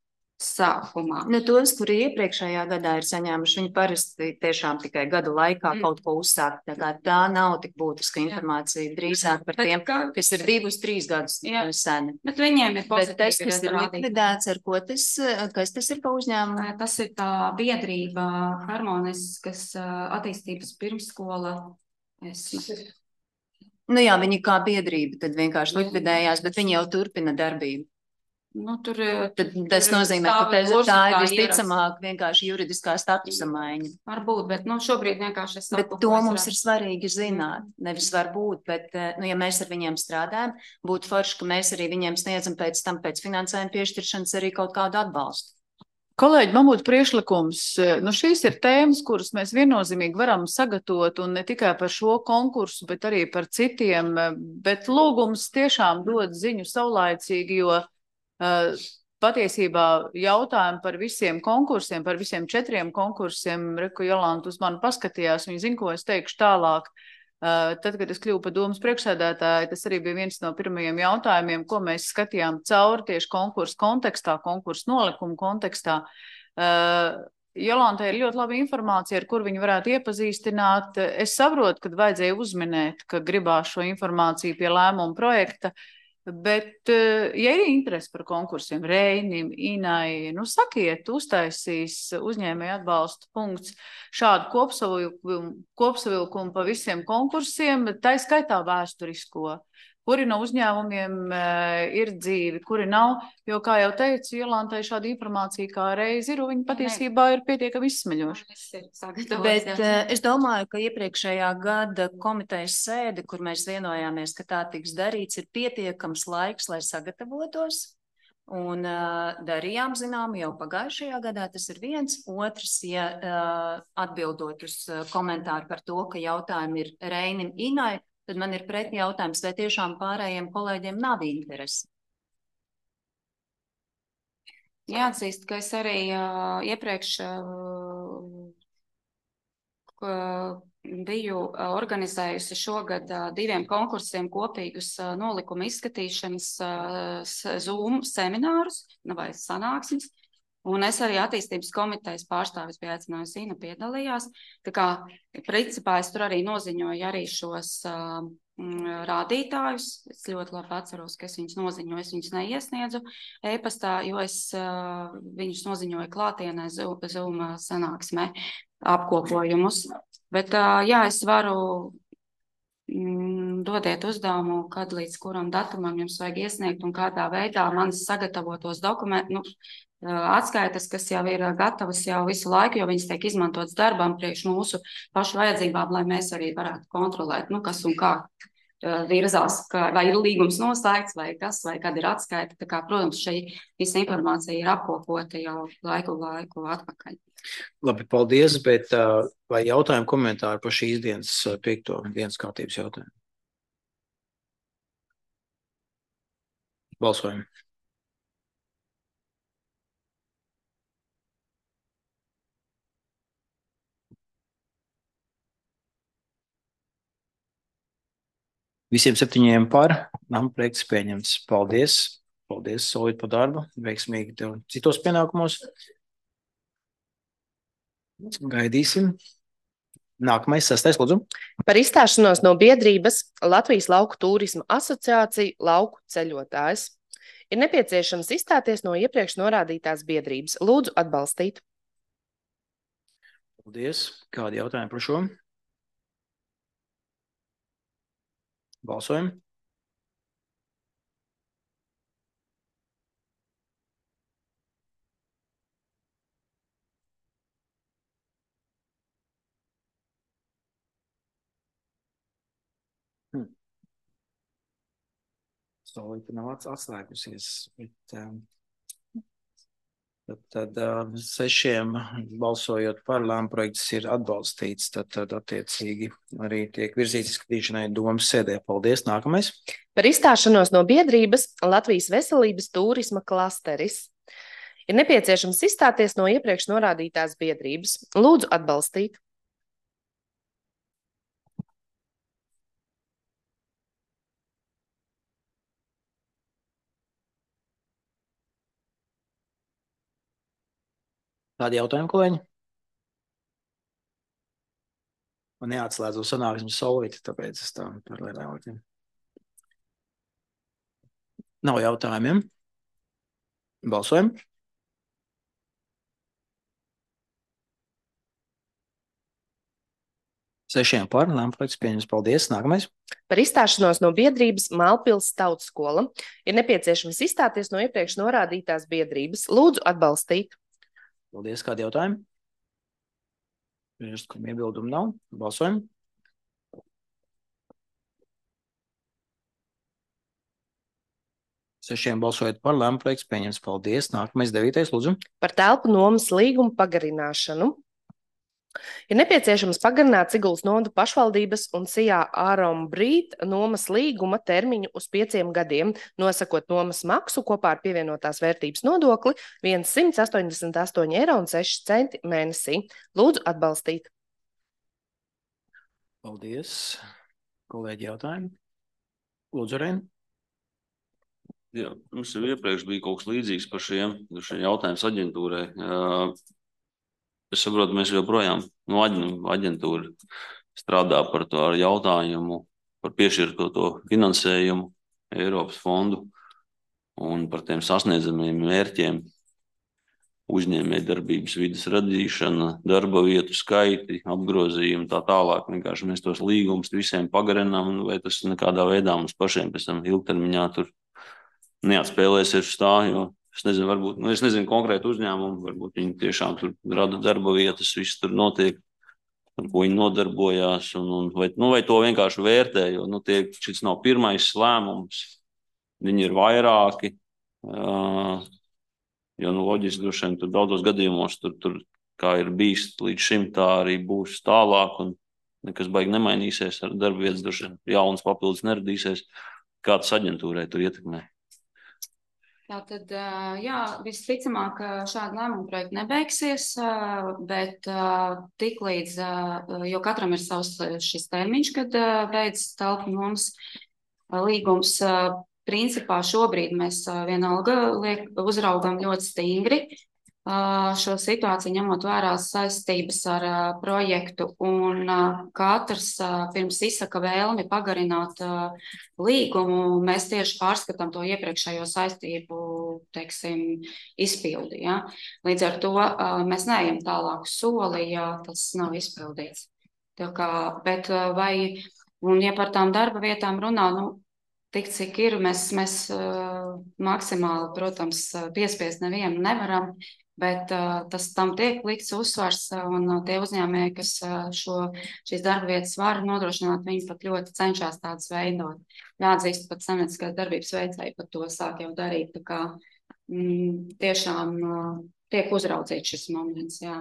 sākumā. Tos, kuri iepriekšējā gadā ir saņēmuši, viņi parasti tiešām tikai gada laikā kaut ko uzsākt. Tā nav tik būtiska informācija, drīzāk par tiem, kas ir 2-3 gadus seni. Bet viņiem ir pozitīvi. Bet tas, kas ir likvidēts, ar ko kas tas ir pa uzņēmumu? Tas ir tā biedrība Harmoniskas attīstības pirmsskola. Jā, viņi kā biedrība tad vienkārši likvidējās, bet viņi jau turpina darbību. Tad tas nozīmē, ka tā ir visticamāk vienkārši juridiskā statusa maiņa. Varbūt, bet šobrīd vienkārši es saku. Bet to mums ir svarīgi zināt. Nevis varbūt, bet ja mēs ar viņiem strādājam, būtu forši, ka mēs arī viņiem sniedzam pēc tam pēc finansējuma piešķiršanas arī kaut kādu atbalstu. Kolēģi, man būtu priekšlikums, šīs ir tēmas, kuras mēs viennozīmīgi varam sagatavot un ne tikai par šo konkursu, bet arī par citiem, bet lūgums tiešām dod ziņu saulaicīgi, jo patiesībā jautājumi par visiem konkursiem, par visiem 4 konkursiem, Reku Jolanta uz mani paskatījās, viņi zina, ko es teikšu tālāk. Tad, kad es kļuvu par domas priekšsēdētāju, tas arī bija viens no pirmajiem jautājumiem, ko mēs skatījām cauri tieši konkursu kontekstā, konkursu nolikumu kontekstā. Jolantai ir ļoti laba informācija, ar kur viņi varētu iepazīstināt. Es saprotu, kad vajadzēja uzminēt, ka gribās šo informāciju pie lēmuma projekta, bet, ja ir interesi par konkursiem, Reinim, Inai, sakiet, uztaisīs uzņēmēju atbalsta punkts šādu kopsavilkumu pa visiem konkursiem, tā skaitā vēsturisko. Kuri no uzņēmumiem ir dzīvi, kuri nav, jo, kā jau teicu, Jolantai šāda informācija kā reiz ir, un viņa patiesībā ir pietiekami izsmeļoša. Bet es domāju, ka iepriekšējā gada komitejas sēde, kur mēs vienojāmies, ka tā tiks darīts, ir pietiekams laiks, lai sagatavotos, un darījām zinām jau pagājušajā gadā, tas ir viens. Otrs, ja atbildot uz komentāru par to, ka jautājumi ir Reinim, Inai, tad man ir pretī jautājums, vai tiešām pārējiem kolēģiem nav interesi. Jāatzīst, ka es arī iepriekš biju organizējusi šogad 2 konkursiem kopīgus nolikuma izskatīšanas Zoom seminārus vai sanāksmes. Un es arī attīstības komitejas pārstāvis biju aicinājusi, Ina piedalījās. Tā kā, principā, es tur arī noziņoju arī šos rādītājus. Es ļoti labi atceros, ka es viņus noziņoju, es viņus neiesniedzu e-pastā, jo es viņus noziņoju klātienē Zoom sanāksmē apkopojumus. Bet, jā, es varu dodiet uzdevumu, kad līdz kuram datumam jums vajag iesniegt un kādā veidā manis sagatavotos dokumentus, atskaitas, kas jau ir gatavas jau visu laiku, jo viņas tiek izmantotas darbam priekš mūsu pašu vajadzībām, lai mēs arī varētu kontrolēt, kas un kā virzās, vai ir līgums noslēgts, vai kas, vai kad ir atskaita. Tā kā, protams, šī visa informācija ir apkopota jau laiku atpakaļ. Labi, paldies, bet vai jautājumu komentāri par šīs dienas 5. dienas kārtības jautājumu? Balsojam. Visiem 7 par. Nama projekts pieņemts. Paldies. Paldies, Solīt, par darbu. Veiksmīgi tev citos pienākumos. Gaidīsim. Nākamais, 6. lūdzu. Par izstāšanos no biedrības Latvijas Lauku turisma asociācija Lauku ceļotājs. Ir nepieciešams izstāties no iepriekš norādītās biedrības. Lūdzu atbalstīt. Paldies. Kādi jautājumi par šo? Balsojam. Solīta nav atslēgusies, bet tad 6 balsojot par lēmumu projekts ir atbalstīts, tad attiecīgi arī tiek virzīts izskatīšanai domas sēdē. Paldies. Nākamais. Par izstāšanos no biedrības Latvijas veselības turisma klasteris. Ir nepieciešams izstāties no iepriekš norādītās biedrības. Lūdzu atbalstīt. Kādi jautājumi, kolēģi? Man neatslēdzu sanāksmi Solīti, tāpēc es tā par lielākiem. Nav jautājumiem. Balsojam. Sešiem par. Lēmumu projekts pieņems. Paldies. Nākamais. Par izstāšanos no biedrības Mālpils tautskola. Ir nepieciešams izstāties no iepriekš norādītās biedrības. Lūdzu atbalstīt. Paldies. Kādi jautājumi? Priekšlikuma iebildumu nav. Balsojam. Sešiem balsojot par, lēmumu projekts pieņems. Paldies. Nākamais 9. lūdzu. Par telpu nomas līgumu pagarināšanu. Ir nepieciešams pagarināt Siguldas novada pašvaldības un Sijā Ārom Brīt nomas līguma termiņu uz 5 gadiem, nosakot nomas maksu kopā ar pievienotās vērtības nodokli 188,06 € mēnesī. Lūdzu atbalstīt. Paldies. Kolēģi jautājumi? Lūdzu, Reina. Jā, mums jau iepriekš bija kaut kas līdzīgs par šiem jautājums aģentūrai. Es saprotu, mēs joprojām aģentūra strādā par to ar jautājumu par piešķirto finansējumu Eiropas fondu un par tiem sasniedzamiem mērķiem, uzņēmējdarbības vides radīšana, darba vietu skaiti, apgrozījumi, tā tālāk. Vienkārši mēs tos līgumus visiem pagarinām, vai tas nekādā veidā mums pašiem pēc tam ilgtermiņā tur neatspēlēsies uz tā, jo es nezinu, varbūt, es nezinu konkrētu uzņēmumu, varbūt viņi tiešām tur rada darba vietas, viss tur notiek, ar ko viņi nodarbojās, vai to vienkārši vērtē, jo šis nav pirmais lēmums, viņi ir vairāki, jo loģiski droši vien tur daudzos gadījumos tur kā ir bijis līdz šim, tā arī būs tālāk, un nekas baigi nemainīsies ar darba vietas, droši vien jaunas papildus neradīsies, kā tas aģentūrai tur ietekmē. Tātad, jā, visticamāk, šāda lēmuma projekta nebeigsies, bet tiklīdz, jo katram ir savs šis termiņš, kad beidz telpu nomas līgums, principā šobrīd mēs vienalga uzraugam ļoti stingri šo situāciju, ņemot vērā saistības ar projektu, un katrs pirms izsaka vēlmi pagarināt līgumu, mēs tieši pārskatām to iepriekšējo saistību, teiksim, izpildi. Ja? Līdz ar to mēs neejam tālāku soli, ja tas nav izpildīts. Bet un ja par tām darba vietām runā, tik cik ir, mēs maksimāli, protams, piespiest nevienu nevaram, bet tam tiek likts uzsvars, un tie uzņēmēji, kas šīs darba vietas var nodrošināt, viņi pat ļoti cenšas tādas veidot. Jāatzīst, pat saimnieciskās darbības veicēji pat to sāk jau darīt, tā kā tiešām tiek uzraudzīts šis moments, jā.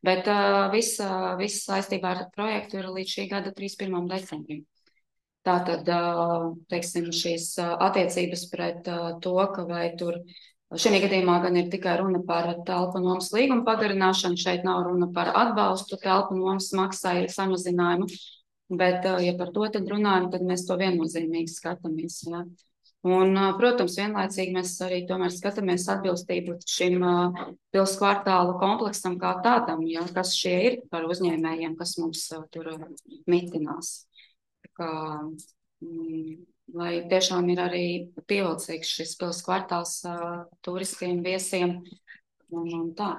Bet viss saistībā ar projektu ir līdz šī gada 31. decembrim. Tātad, teiksim, šīs attiecības pret to, ka vai tur šajā gadījumā gan ir tikai runa par telpu nomas līgumu pagarināšanu, šeit nav runa par atbalstu telpu nomas maksai samazinājumu. Bet, ja par to tad runājam, tad mēs to viennozīmīgi skatāmies. Ja. Un, protams, vienlaicīgi mēs arī tomēr skatāmies atbilstību šim pils kvartāla kompleksam kā tādam, ja, kas šie ir par uzņēmējiem, kas mums tur mitinās. Kā, lai tiešām ir arī pievilcīgs šis pils kvartāls turistiem, viesiem un tā.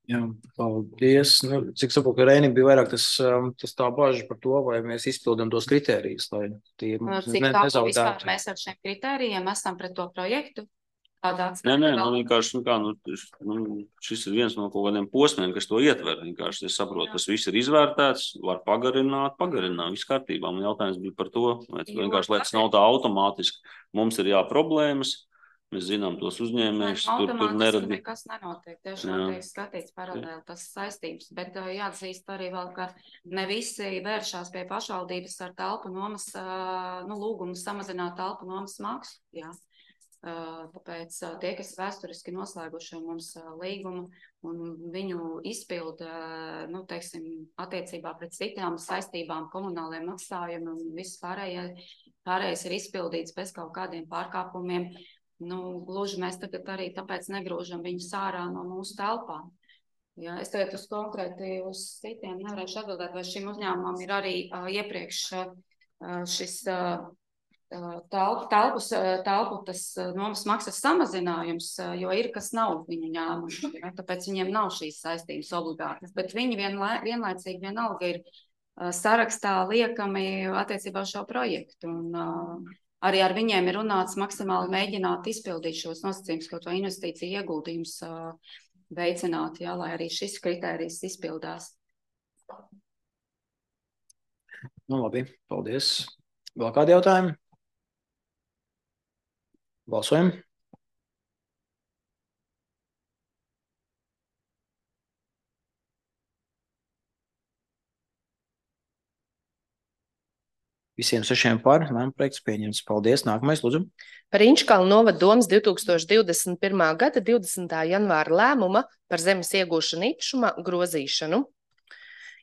Jā, paldies. Nu, cik saprotu, ka Reinim bija vairāk tas tā bažas par to, vai mēs izpildam tos kritērijus, lai tie Cik tālu vispār mēs ar šiem kritērijiem esam pret to projektu? Nē, vienkārši, šis ir viens no kaut kādiem posmiem, kas to ietver. Vienkārši es saprotu, tas viss ir izvērtēts, var pagarināt, viss kārtībā. Man jautājums bija par to, vienkārši, lai tas nav tā automātiski. Mums ir problēmas. Mēs zinām tos uzņēmējus, tur neradīt. Nekas nenotiek, tiešām tiek skatīts paralēli tas saistības, bet jāatzīst arī vēl, ka ne visi vēršās pie pašvaldības ar telpu nomas, lūgumu samazināt telpu nomas maksu, jā. Tāpēc tie, kas vēsturiski noslēguši mums līgumu un viņu izpilda, attiecībā pret citām saistībām, komunāliem maksājumiem un viss pārējais ir izpildīts bez kaut kādiem pārkāpumiem. Gluži mēs tagad arī tāpēc negrūžam viņus ārā no mūsu telpām. Ja, es tagad konkrēti uz citiem nevarēšu atbildēt, vai šim uzņēmumam ir arī iepriekš šis telpu tas nomas maksas samazinājums, jo ir, kas nav viņu ņēmuši. Ja, tāpēc viņiem nav šīs saistības obligātas, bet viņi vienlaicīgi vienalga ir sarakstā liekami attiecībā uz šo projektu. Un, arī ar viņiem ir runāts maksimāli mēģināt izpildīt šos nosacījumus, kaut vai investīciju ieguldījums veicināt, jā, lai arī šis kritērijs izpildās. Labi, paldies. Vēl kādi jautājumi? Balsojam. Visiem 6 par, lēmumprojekts pieņemts. Paldies. Nākamais, lūdzu. Par Inčkalnu novada domas 2021. gada 20. janvāra lēmuma par zemes iegūšanu īpašumā grozīšanu.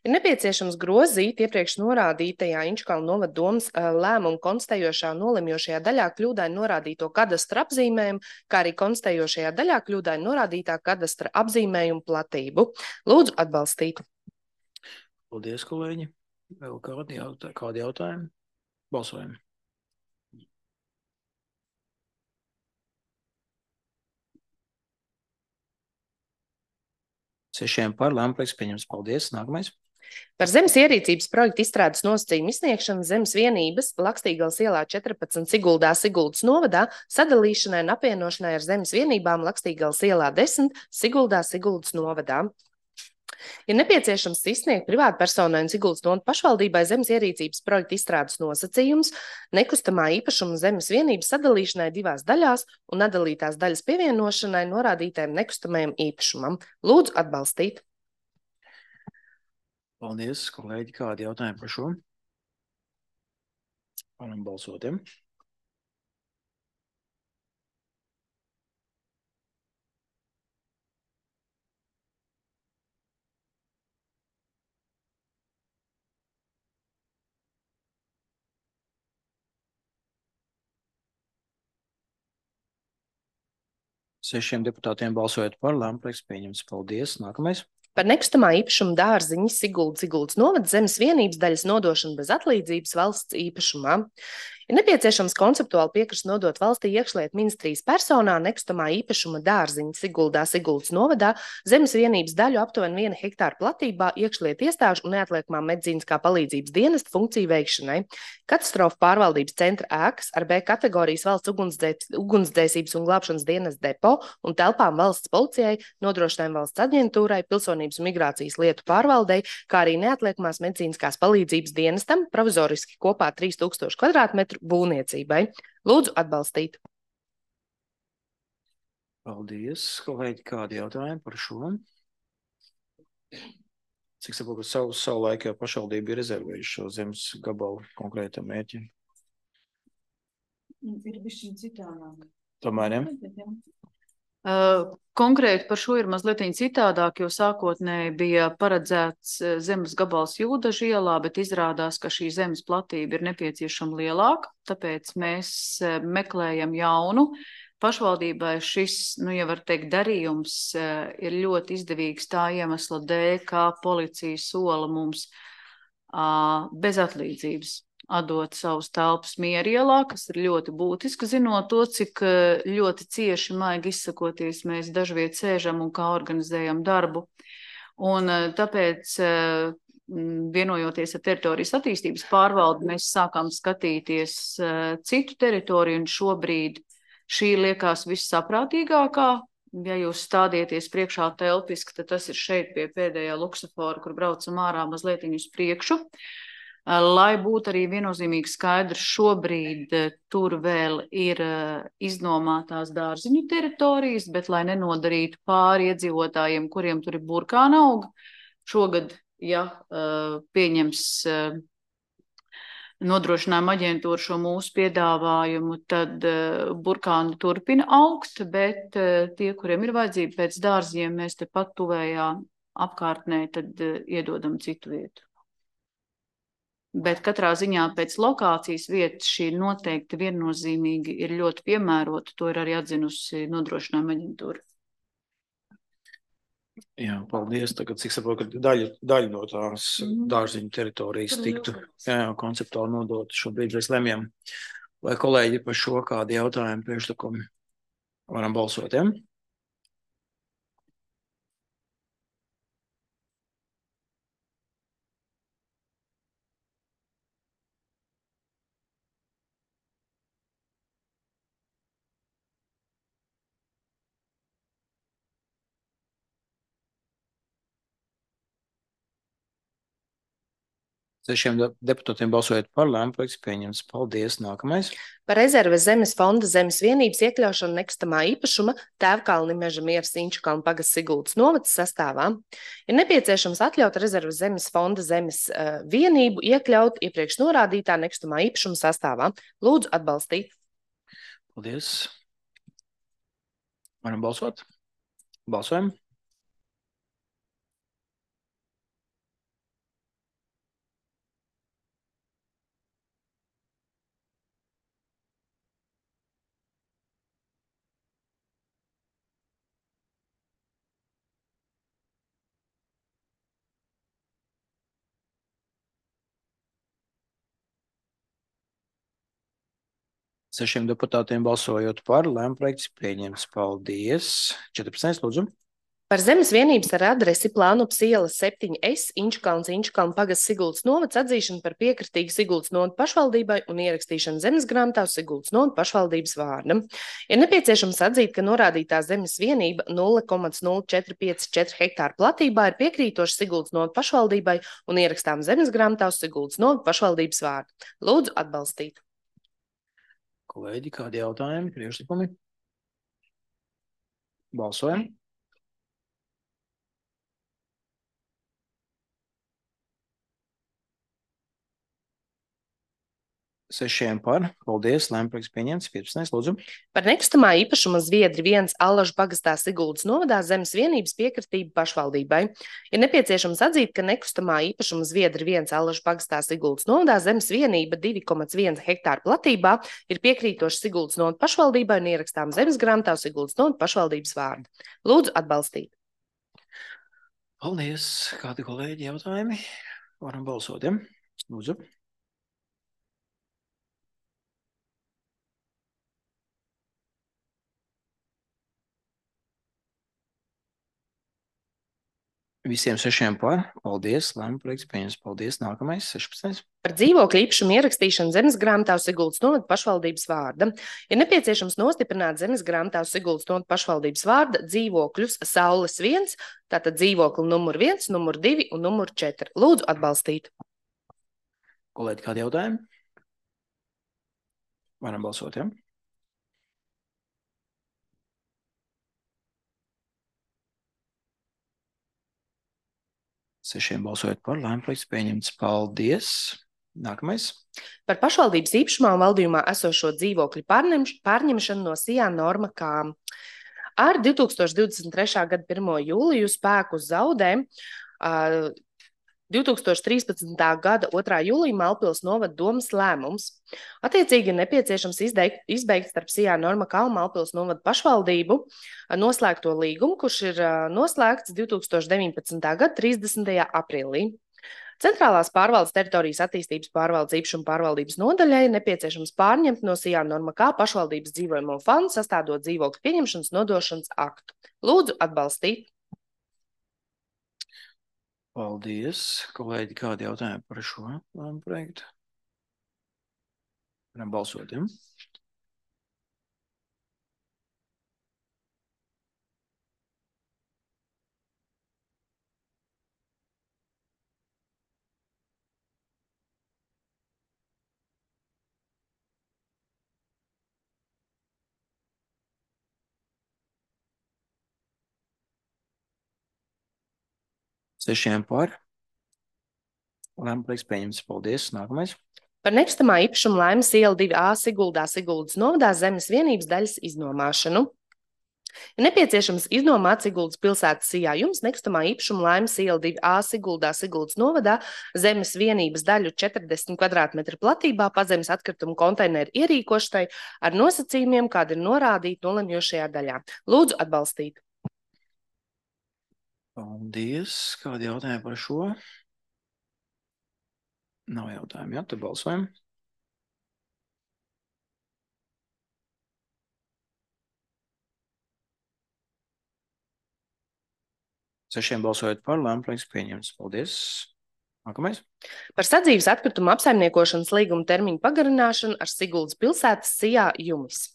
Ir nepieciešams grozīt iepriekš norādītajā Inčkalnu novada domas lēmumu konstatējošā nolemjošajā daļā kļūdaini norādīto kadastra apzīmējumu, kā arī konstatējošajā daļā kļūdaini norādītā kadastra apzīmējumu platību. Lūdzu atbalstīt. Paldies, kolēģi. Vēl kādi jautājumi? Balsojam. Sešiem par, lēmumprojekts pieņemts. Paldies. Nākamais. Par zemes ierīcības projektu izstrādes nosacījumu izsniegšanu zemes vienības Lakstīgales ielā 14 Siguldas novadā sadalīšanai un apvienošanai ar zemes vienībām Lakstīgales ielā 10 Siguldas novadā. Ir nepieciešams izsniegt privātpersonai un Siguldas novada pašvaldībai zemes ierīcības projekta izstrādes nosacījums nekustamā īpašuma zemes vienības sadalīšanai 2 daļās un nedalītās daļas pievienošanai norādītajam nekustamajam īpašumam. Lūdzu atbalstīt. Paldies, kolēģi. Kādi jautājumi par šo? Varam balsot. Sešiem deputātiem balsojot par, lēmumprojekts pieņemts. Paldies. Nākamais. Par nekustamā īpašuma dārziņu Siguldas novada zemes vienības daļas nodošanu bez atlīdzības valsts īpašumā. Ir nepieciešams konceptuāli piekrist nodot valstī iekšlietu ministrijas personā nekustamā īpašuma dārziņu Siguldas novadā zemes vienības daļu aptuveni 1 hektāra platībā iekšlietu iestāžu un neatliekamā medicīniskā palīdzības dienesta funkciju veikšanai. Katastrofu pārvaldības centra ēkas ar B kategorijas valsts ugunsdzēsības un glābšanas dienesta depo un telpām valsts policijai, nodrošinājumu valsts aģentūrai, pilsonības un migrācijas lietu pārvaldei, kā arī neatliekamās medicīniskās palīdzības dienestam provizoriski kopā 3000 kvadrātmetru būvniecībai. Lūdzu atbalstīt. Paldies, kolēģi. Kādi jautājumi par šo? Cik saprotu, savu laiku jau pašvaldība ir rezervējuši šo zemes gabalu konkrētam mērķim? Ir bišķiņ citādāk. Tomēr, ja? Konkrēti par šo ir mazliet citādāk, jo sākotnēji bija paredzēts zemes gabals Jūdažu ielā, bet izrādās, ka šī zemes platība ir nepieciešama lielāka, tāpēc mēs meklējam jaunu. Pašvaldībai šis, ja var teikt, darījums ir ļoti izdevīgs tā iemesla dēļ, kā policija sola mums bez atlīdzības atdot savus telpas Mierielā, kas ir ļoti būtiski, zinot to, cik ļoti cieši, maigi izsakoties, mēs dažviet sēžam un kā organizējam darbu. Un tāpēc, vienojoties ar teritorijas attīstības pārvaldi, mēs sākām skatīties citu teritoriju, un šobrīd šī liekas vissaprātīgākā. Ja jūs stādieties priekšā telpiski, tad tas ir šeit pie pēdējā luksafora, kur braucam ārā mazliet uz priekšu. Lai būtu arī viennozīmīgi skaidrs, šobrīd tur vēl ir iznomātās dārziņu teritorijas, bet lai nenodarītu pāri iedzīvotājiem, kuriem tur ir burkāna auga, šogad, ja pieņems nodrošinājuma aģentūra šo mūsu piedāvājumu, tad burkāni turpina augt, bet tie, kuriem ir vajadzība pēc dārziem, mēs tepat tuvējā apkārtnē, tad iedodam citu vietu. Bet katrā ziņā pēc lokācijas vietas šī noteikti viennozīmīgi ir ļoti piemērota. To ir arī atzinusi nodrošinājuma aģentūra. Jā, paldies. Tagad, cik saprotu, ka daļa no tās dārziņu teritorijas tiktu konceptuāli nodot. Šobrīd mēs lemjam, vai kolēģi par šo kādu jautājumu priekšlikumu varam balsot, ja? Sešiem deputātiem balsojot par, lēmuma projekts pieņemts. Paldies. Nākamais. Par rezerves zemes fonda zemes vienības iekļaušanu nekustamā īpašuma Tēvkalni Meža Mieras Inčukalnu pagasts Siguldas novads sastāvā ir nepieciešams atļaut rezerves zemes fonda zemes vienību iekļaut iepriekš norādītā nekustamā īpašuma sastāvā. Lūdzu atbalstīt. Paldies. Varam balsot? Balsojam. Sešiem deputātiem balsojot par, lēmuma projekts pieņemts. Paldies. 14. Lūdzu. Par zemes vienības ar adresi Plānups iela 7S Inčukalnu pagasts Siguldas novads atzīšanu par piekritīgu Siguldas novada pašvaldībai un ierakstīšanu zemes grāmatā uz Siguldas novada pašvaldības vārda. Ir nepieciešams atzīt, ka norādītā zemes vienība 0,0454 hektāru platībā ir piekrītoša Siguldas novada pašvaldībai un ierakstām zemes grāmatā uz Siguldas novada pašvaldības vārda. Lūdzu atbalstīt. Kolēģi, kādi jautājumi, priekšlikumi? Balsojam. Sešiem par. Paldies. Lēmuma projekts pieņemts. 15. Lūdzu. Par nekustamā īpašuma Zviedri 1 Allažu pagastā Siguldas novadā zemes vienības piekritība pašvaldībai. Ir nepieciešams atzīt, ka nekustamā īpašuma Zviedri 1 Allažu pagastā Siguldas novadā zemes vienība 2,1 hektāru platībā ir piekrītoša Siguldas novada pašvaldībai un ierakstām zemes grāmatā uz Siguldas novada pašvaldības vārdu. Lūdzu atbalstīt. Paldies. Kādi kolēģi jautājumi? Varam balsot, ja? Lūdzu. Visiem sešiem par. Paldies. Lēmuma projekts pieņemts. Paldies. Nākamais. 16. Par dzīvokļu īpašumu ierakstīšanu zemes grāmatā uz Siguldas novada pašvaldības vārda. Ir nepieciešams nostiprināt zemes grāmatā uz Siguldas novada pašvaldības vārda dzīvokļus Saules 1, tātad dzīvokli numur 1, numur 2 un numur 4. Lūdzu atbalstīt. Kolēģi, kādi jautājumi? Varam balsot, ja? Sešiem balsojot par, lēmuma projekts pieņemts. Paldies. Nākamais. Par pašvaldības īpašumā un valdījumā esošo dzīvokļu pārņemšanu no SIA norma kā Ar 2023. Gada 1. jūliju spēku zaudē 2013. Gada 2. jūlija Malpils novada domas lēmums. Attiecīgi ir nepieciešams izbeigt starp Sijā Normakā un Malpils novada pašvaldību noslēgto līgumu, kurš ir noslēgts 2019. Gada 30. aprīlī. Centrālās pārvaldes teritorijas attīstības pārvaldes īpašuma pārvaldības nodaļai nepieciešams pārņemt no Sijā Normakā pašvaldības dzīvojamo fondu, sastādot dzīvokļu pieņemšanas nodošanas aktu. Lūdzu atbalstīt. Paldies. Kolēģi, kādi jautājumi par šo projektu? Varam balsot, ja? Sešiem par. Lēmums pieņemts. Paldies. Nākamais. Par nekustamā īpašuma laimes iela 2A Siguldā Siguldas novadā zemes vienības daļas iznomāšanu. Ir nepieciešams iznomāt Siguldas pilsētas Sijā jums nekustamā īpašuma laimes iela 2A Siguldā Siguldas novadā zemes vienības daļu 40 kvadrātmetru platībā pazemes atkritumu konteineru ierīkošanai ar nosacījumiem, kādi ir norādīti nolemjošajā daļā. Lūdzu atbalstīt. Paldies. Kādi jautājumi par šo? Nav jautājumi, jā, tad balsojam. Sešiem balsojot par, lēmums pieņemts. Paldies. Nākamais. Par sadzīves atkritumu apsaimniekošanas līguma termiņu pagarināšanu ar Siguldas pilsētas Sijā jumis.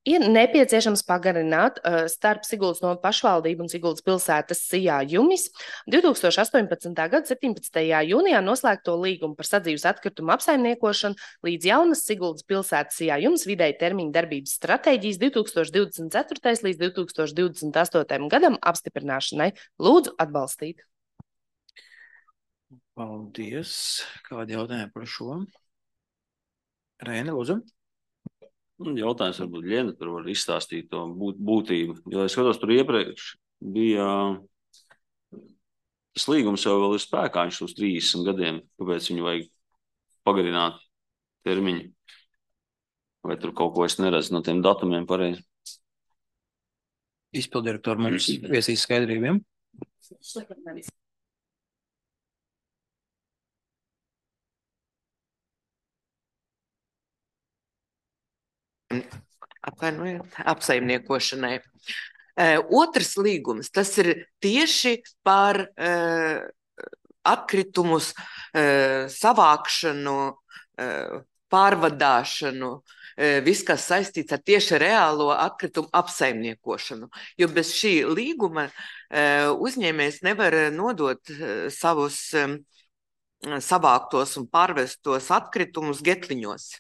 Ir nepieciešams pagarināt starp Siguldas novada pašvaldību un Siguldas pilsētas Sijā jumis 2018. Gada 17. jūnijā noslēgto līgumu par sadzīves atkritumu apsaimniekošanu līdz jaunas Siguldas pilsētas Sijā jumis vidēji termiņa darbības stratēģijas 2024. līdz 2028. gadam apstiprināšanai. Lūdzu atbalstīt. Paldies. Kādi jautājumi par šo? Rēni, lūdzu. Jautājums varbūt Liena tur var izstāstīt to būtību, jo es skatos tur iepriekš bija tas līgums jau vēl ir spēkā, viņš uz 30 gadiem, kāpēc viņu vajag pagarināt termiņu? Vai tur kaut ko es neredzu no tiem datumiem pareizi? Izpildirektori mums viesīs skaidrībiem. Apsaimniekošanai. Otrs līgums, tas ir tieši par atkritumus savākšanu, pārvadāšanu, viss, kas saistīts ar tieši reālo atkritumu apsaimniekošanu. Jo bez šī līguma uzņēmējs nevar nodot savus savāktos un pārvestos atkritumus getliņos.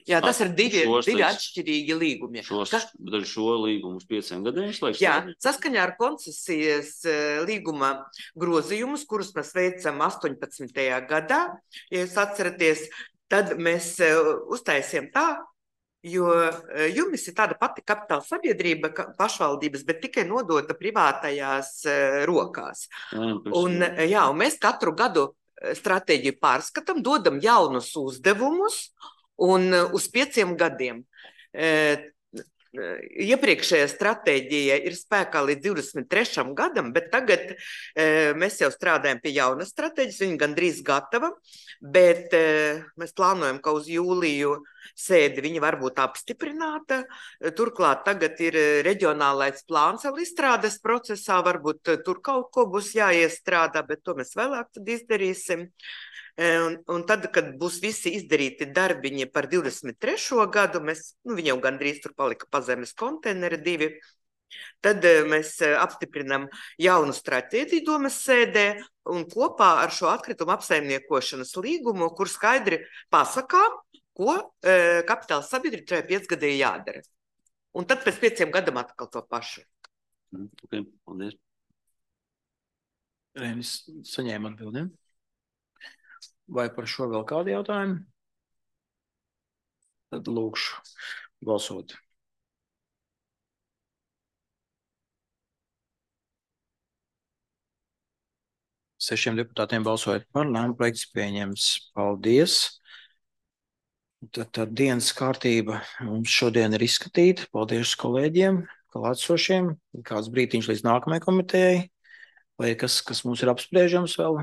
Jā, tas ir divi atšķirīgi līgumi. Šo līgumu uz 5 gadiem slēgts? Jā, saskaņā ar koncesijas līguma grozījumus, kurus mēs veicam 18. gadā, ja jūs atceraties, tad mēs uztaisījām tā, jo jumis ir tāda pati kapitāla sabiedrība pašvaldības, bet tikai nodota privātajās rokās. Un mēs katru gadu stratēģiju pārskatām, dodam jaunus uzdevumus, un uz 5 gadiem. Iepriekšējā stratēģija ir spēkā līdz 23. gadam, bet tagad mēs jau strādājam pie jaunas stratēģijas, viņa gandrīz gatava, bet mēs plānojam, ka uz jūliju sēdi viņa var būt apstiprināta. Turklāt tagad ir reģionālais plāns vēl izstrādes procesā, varbūt tur kaut ko būs jāiestrādā, bet to mēs vēlāk tad izdarīsim. Un tad, kad būs visi izdarīti darbiņi par 23. gadu, viņi jau gandrīz tur palika pazemes konteineri 2, tad mēs apstiprinam jaunu stratēģiju domas sēdē un kopā ar šo atkritumu apsaimniekošanas līgumu, kur skaidri pasakām, ko kapitāla sabiedrība šajā 5 gadē jādara. Un tad pēc 5 gadam atkal to pašu. Okay, paldies. Rēnis saņēma atbildēm. Vai par šo vēl kādi jautājumi? Tad lūkšu balsot. 6 deputātiem balsojot par, lēmuma projekts pieņems. Paldies! Tad dienas kārtība mums šodien ir izskatīta. Paldies kolēģiem, klātsošiem. Kāds brītiņš līdz nākamajai komitejai. Vai kas mums ir apspriežams vēl?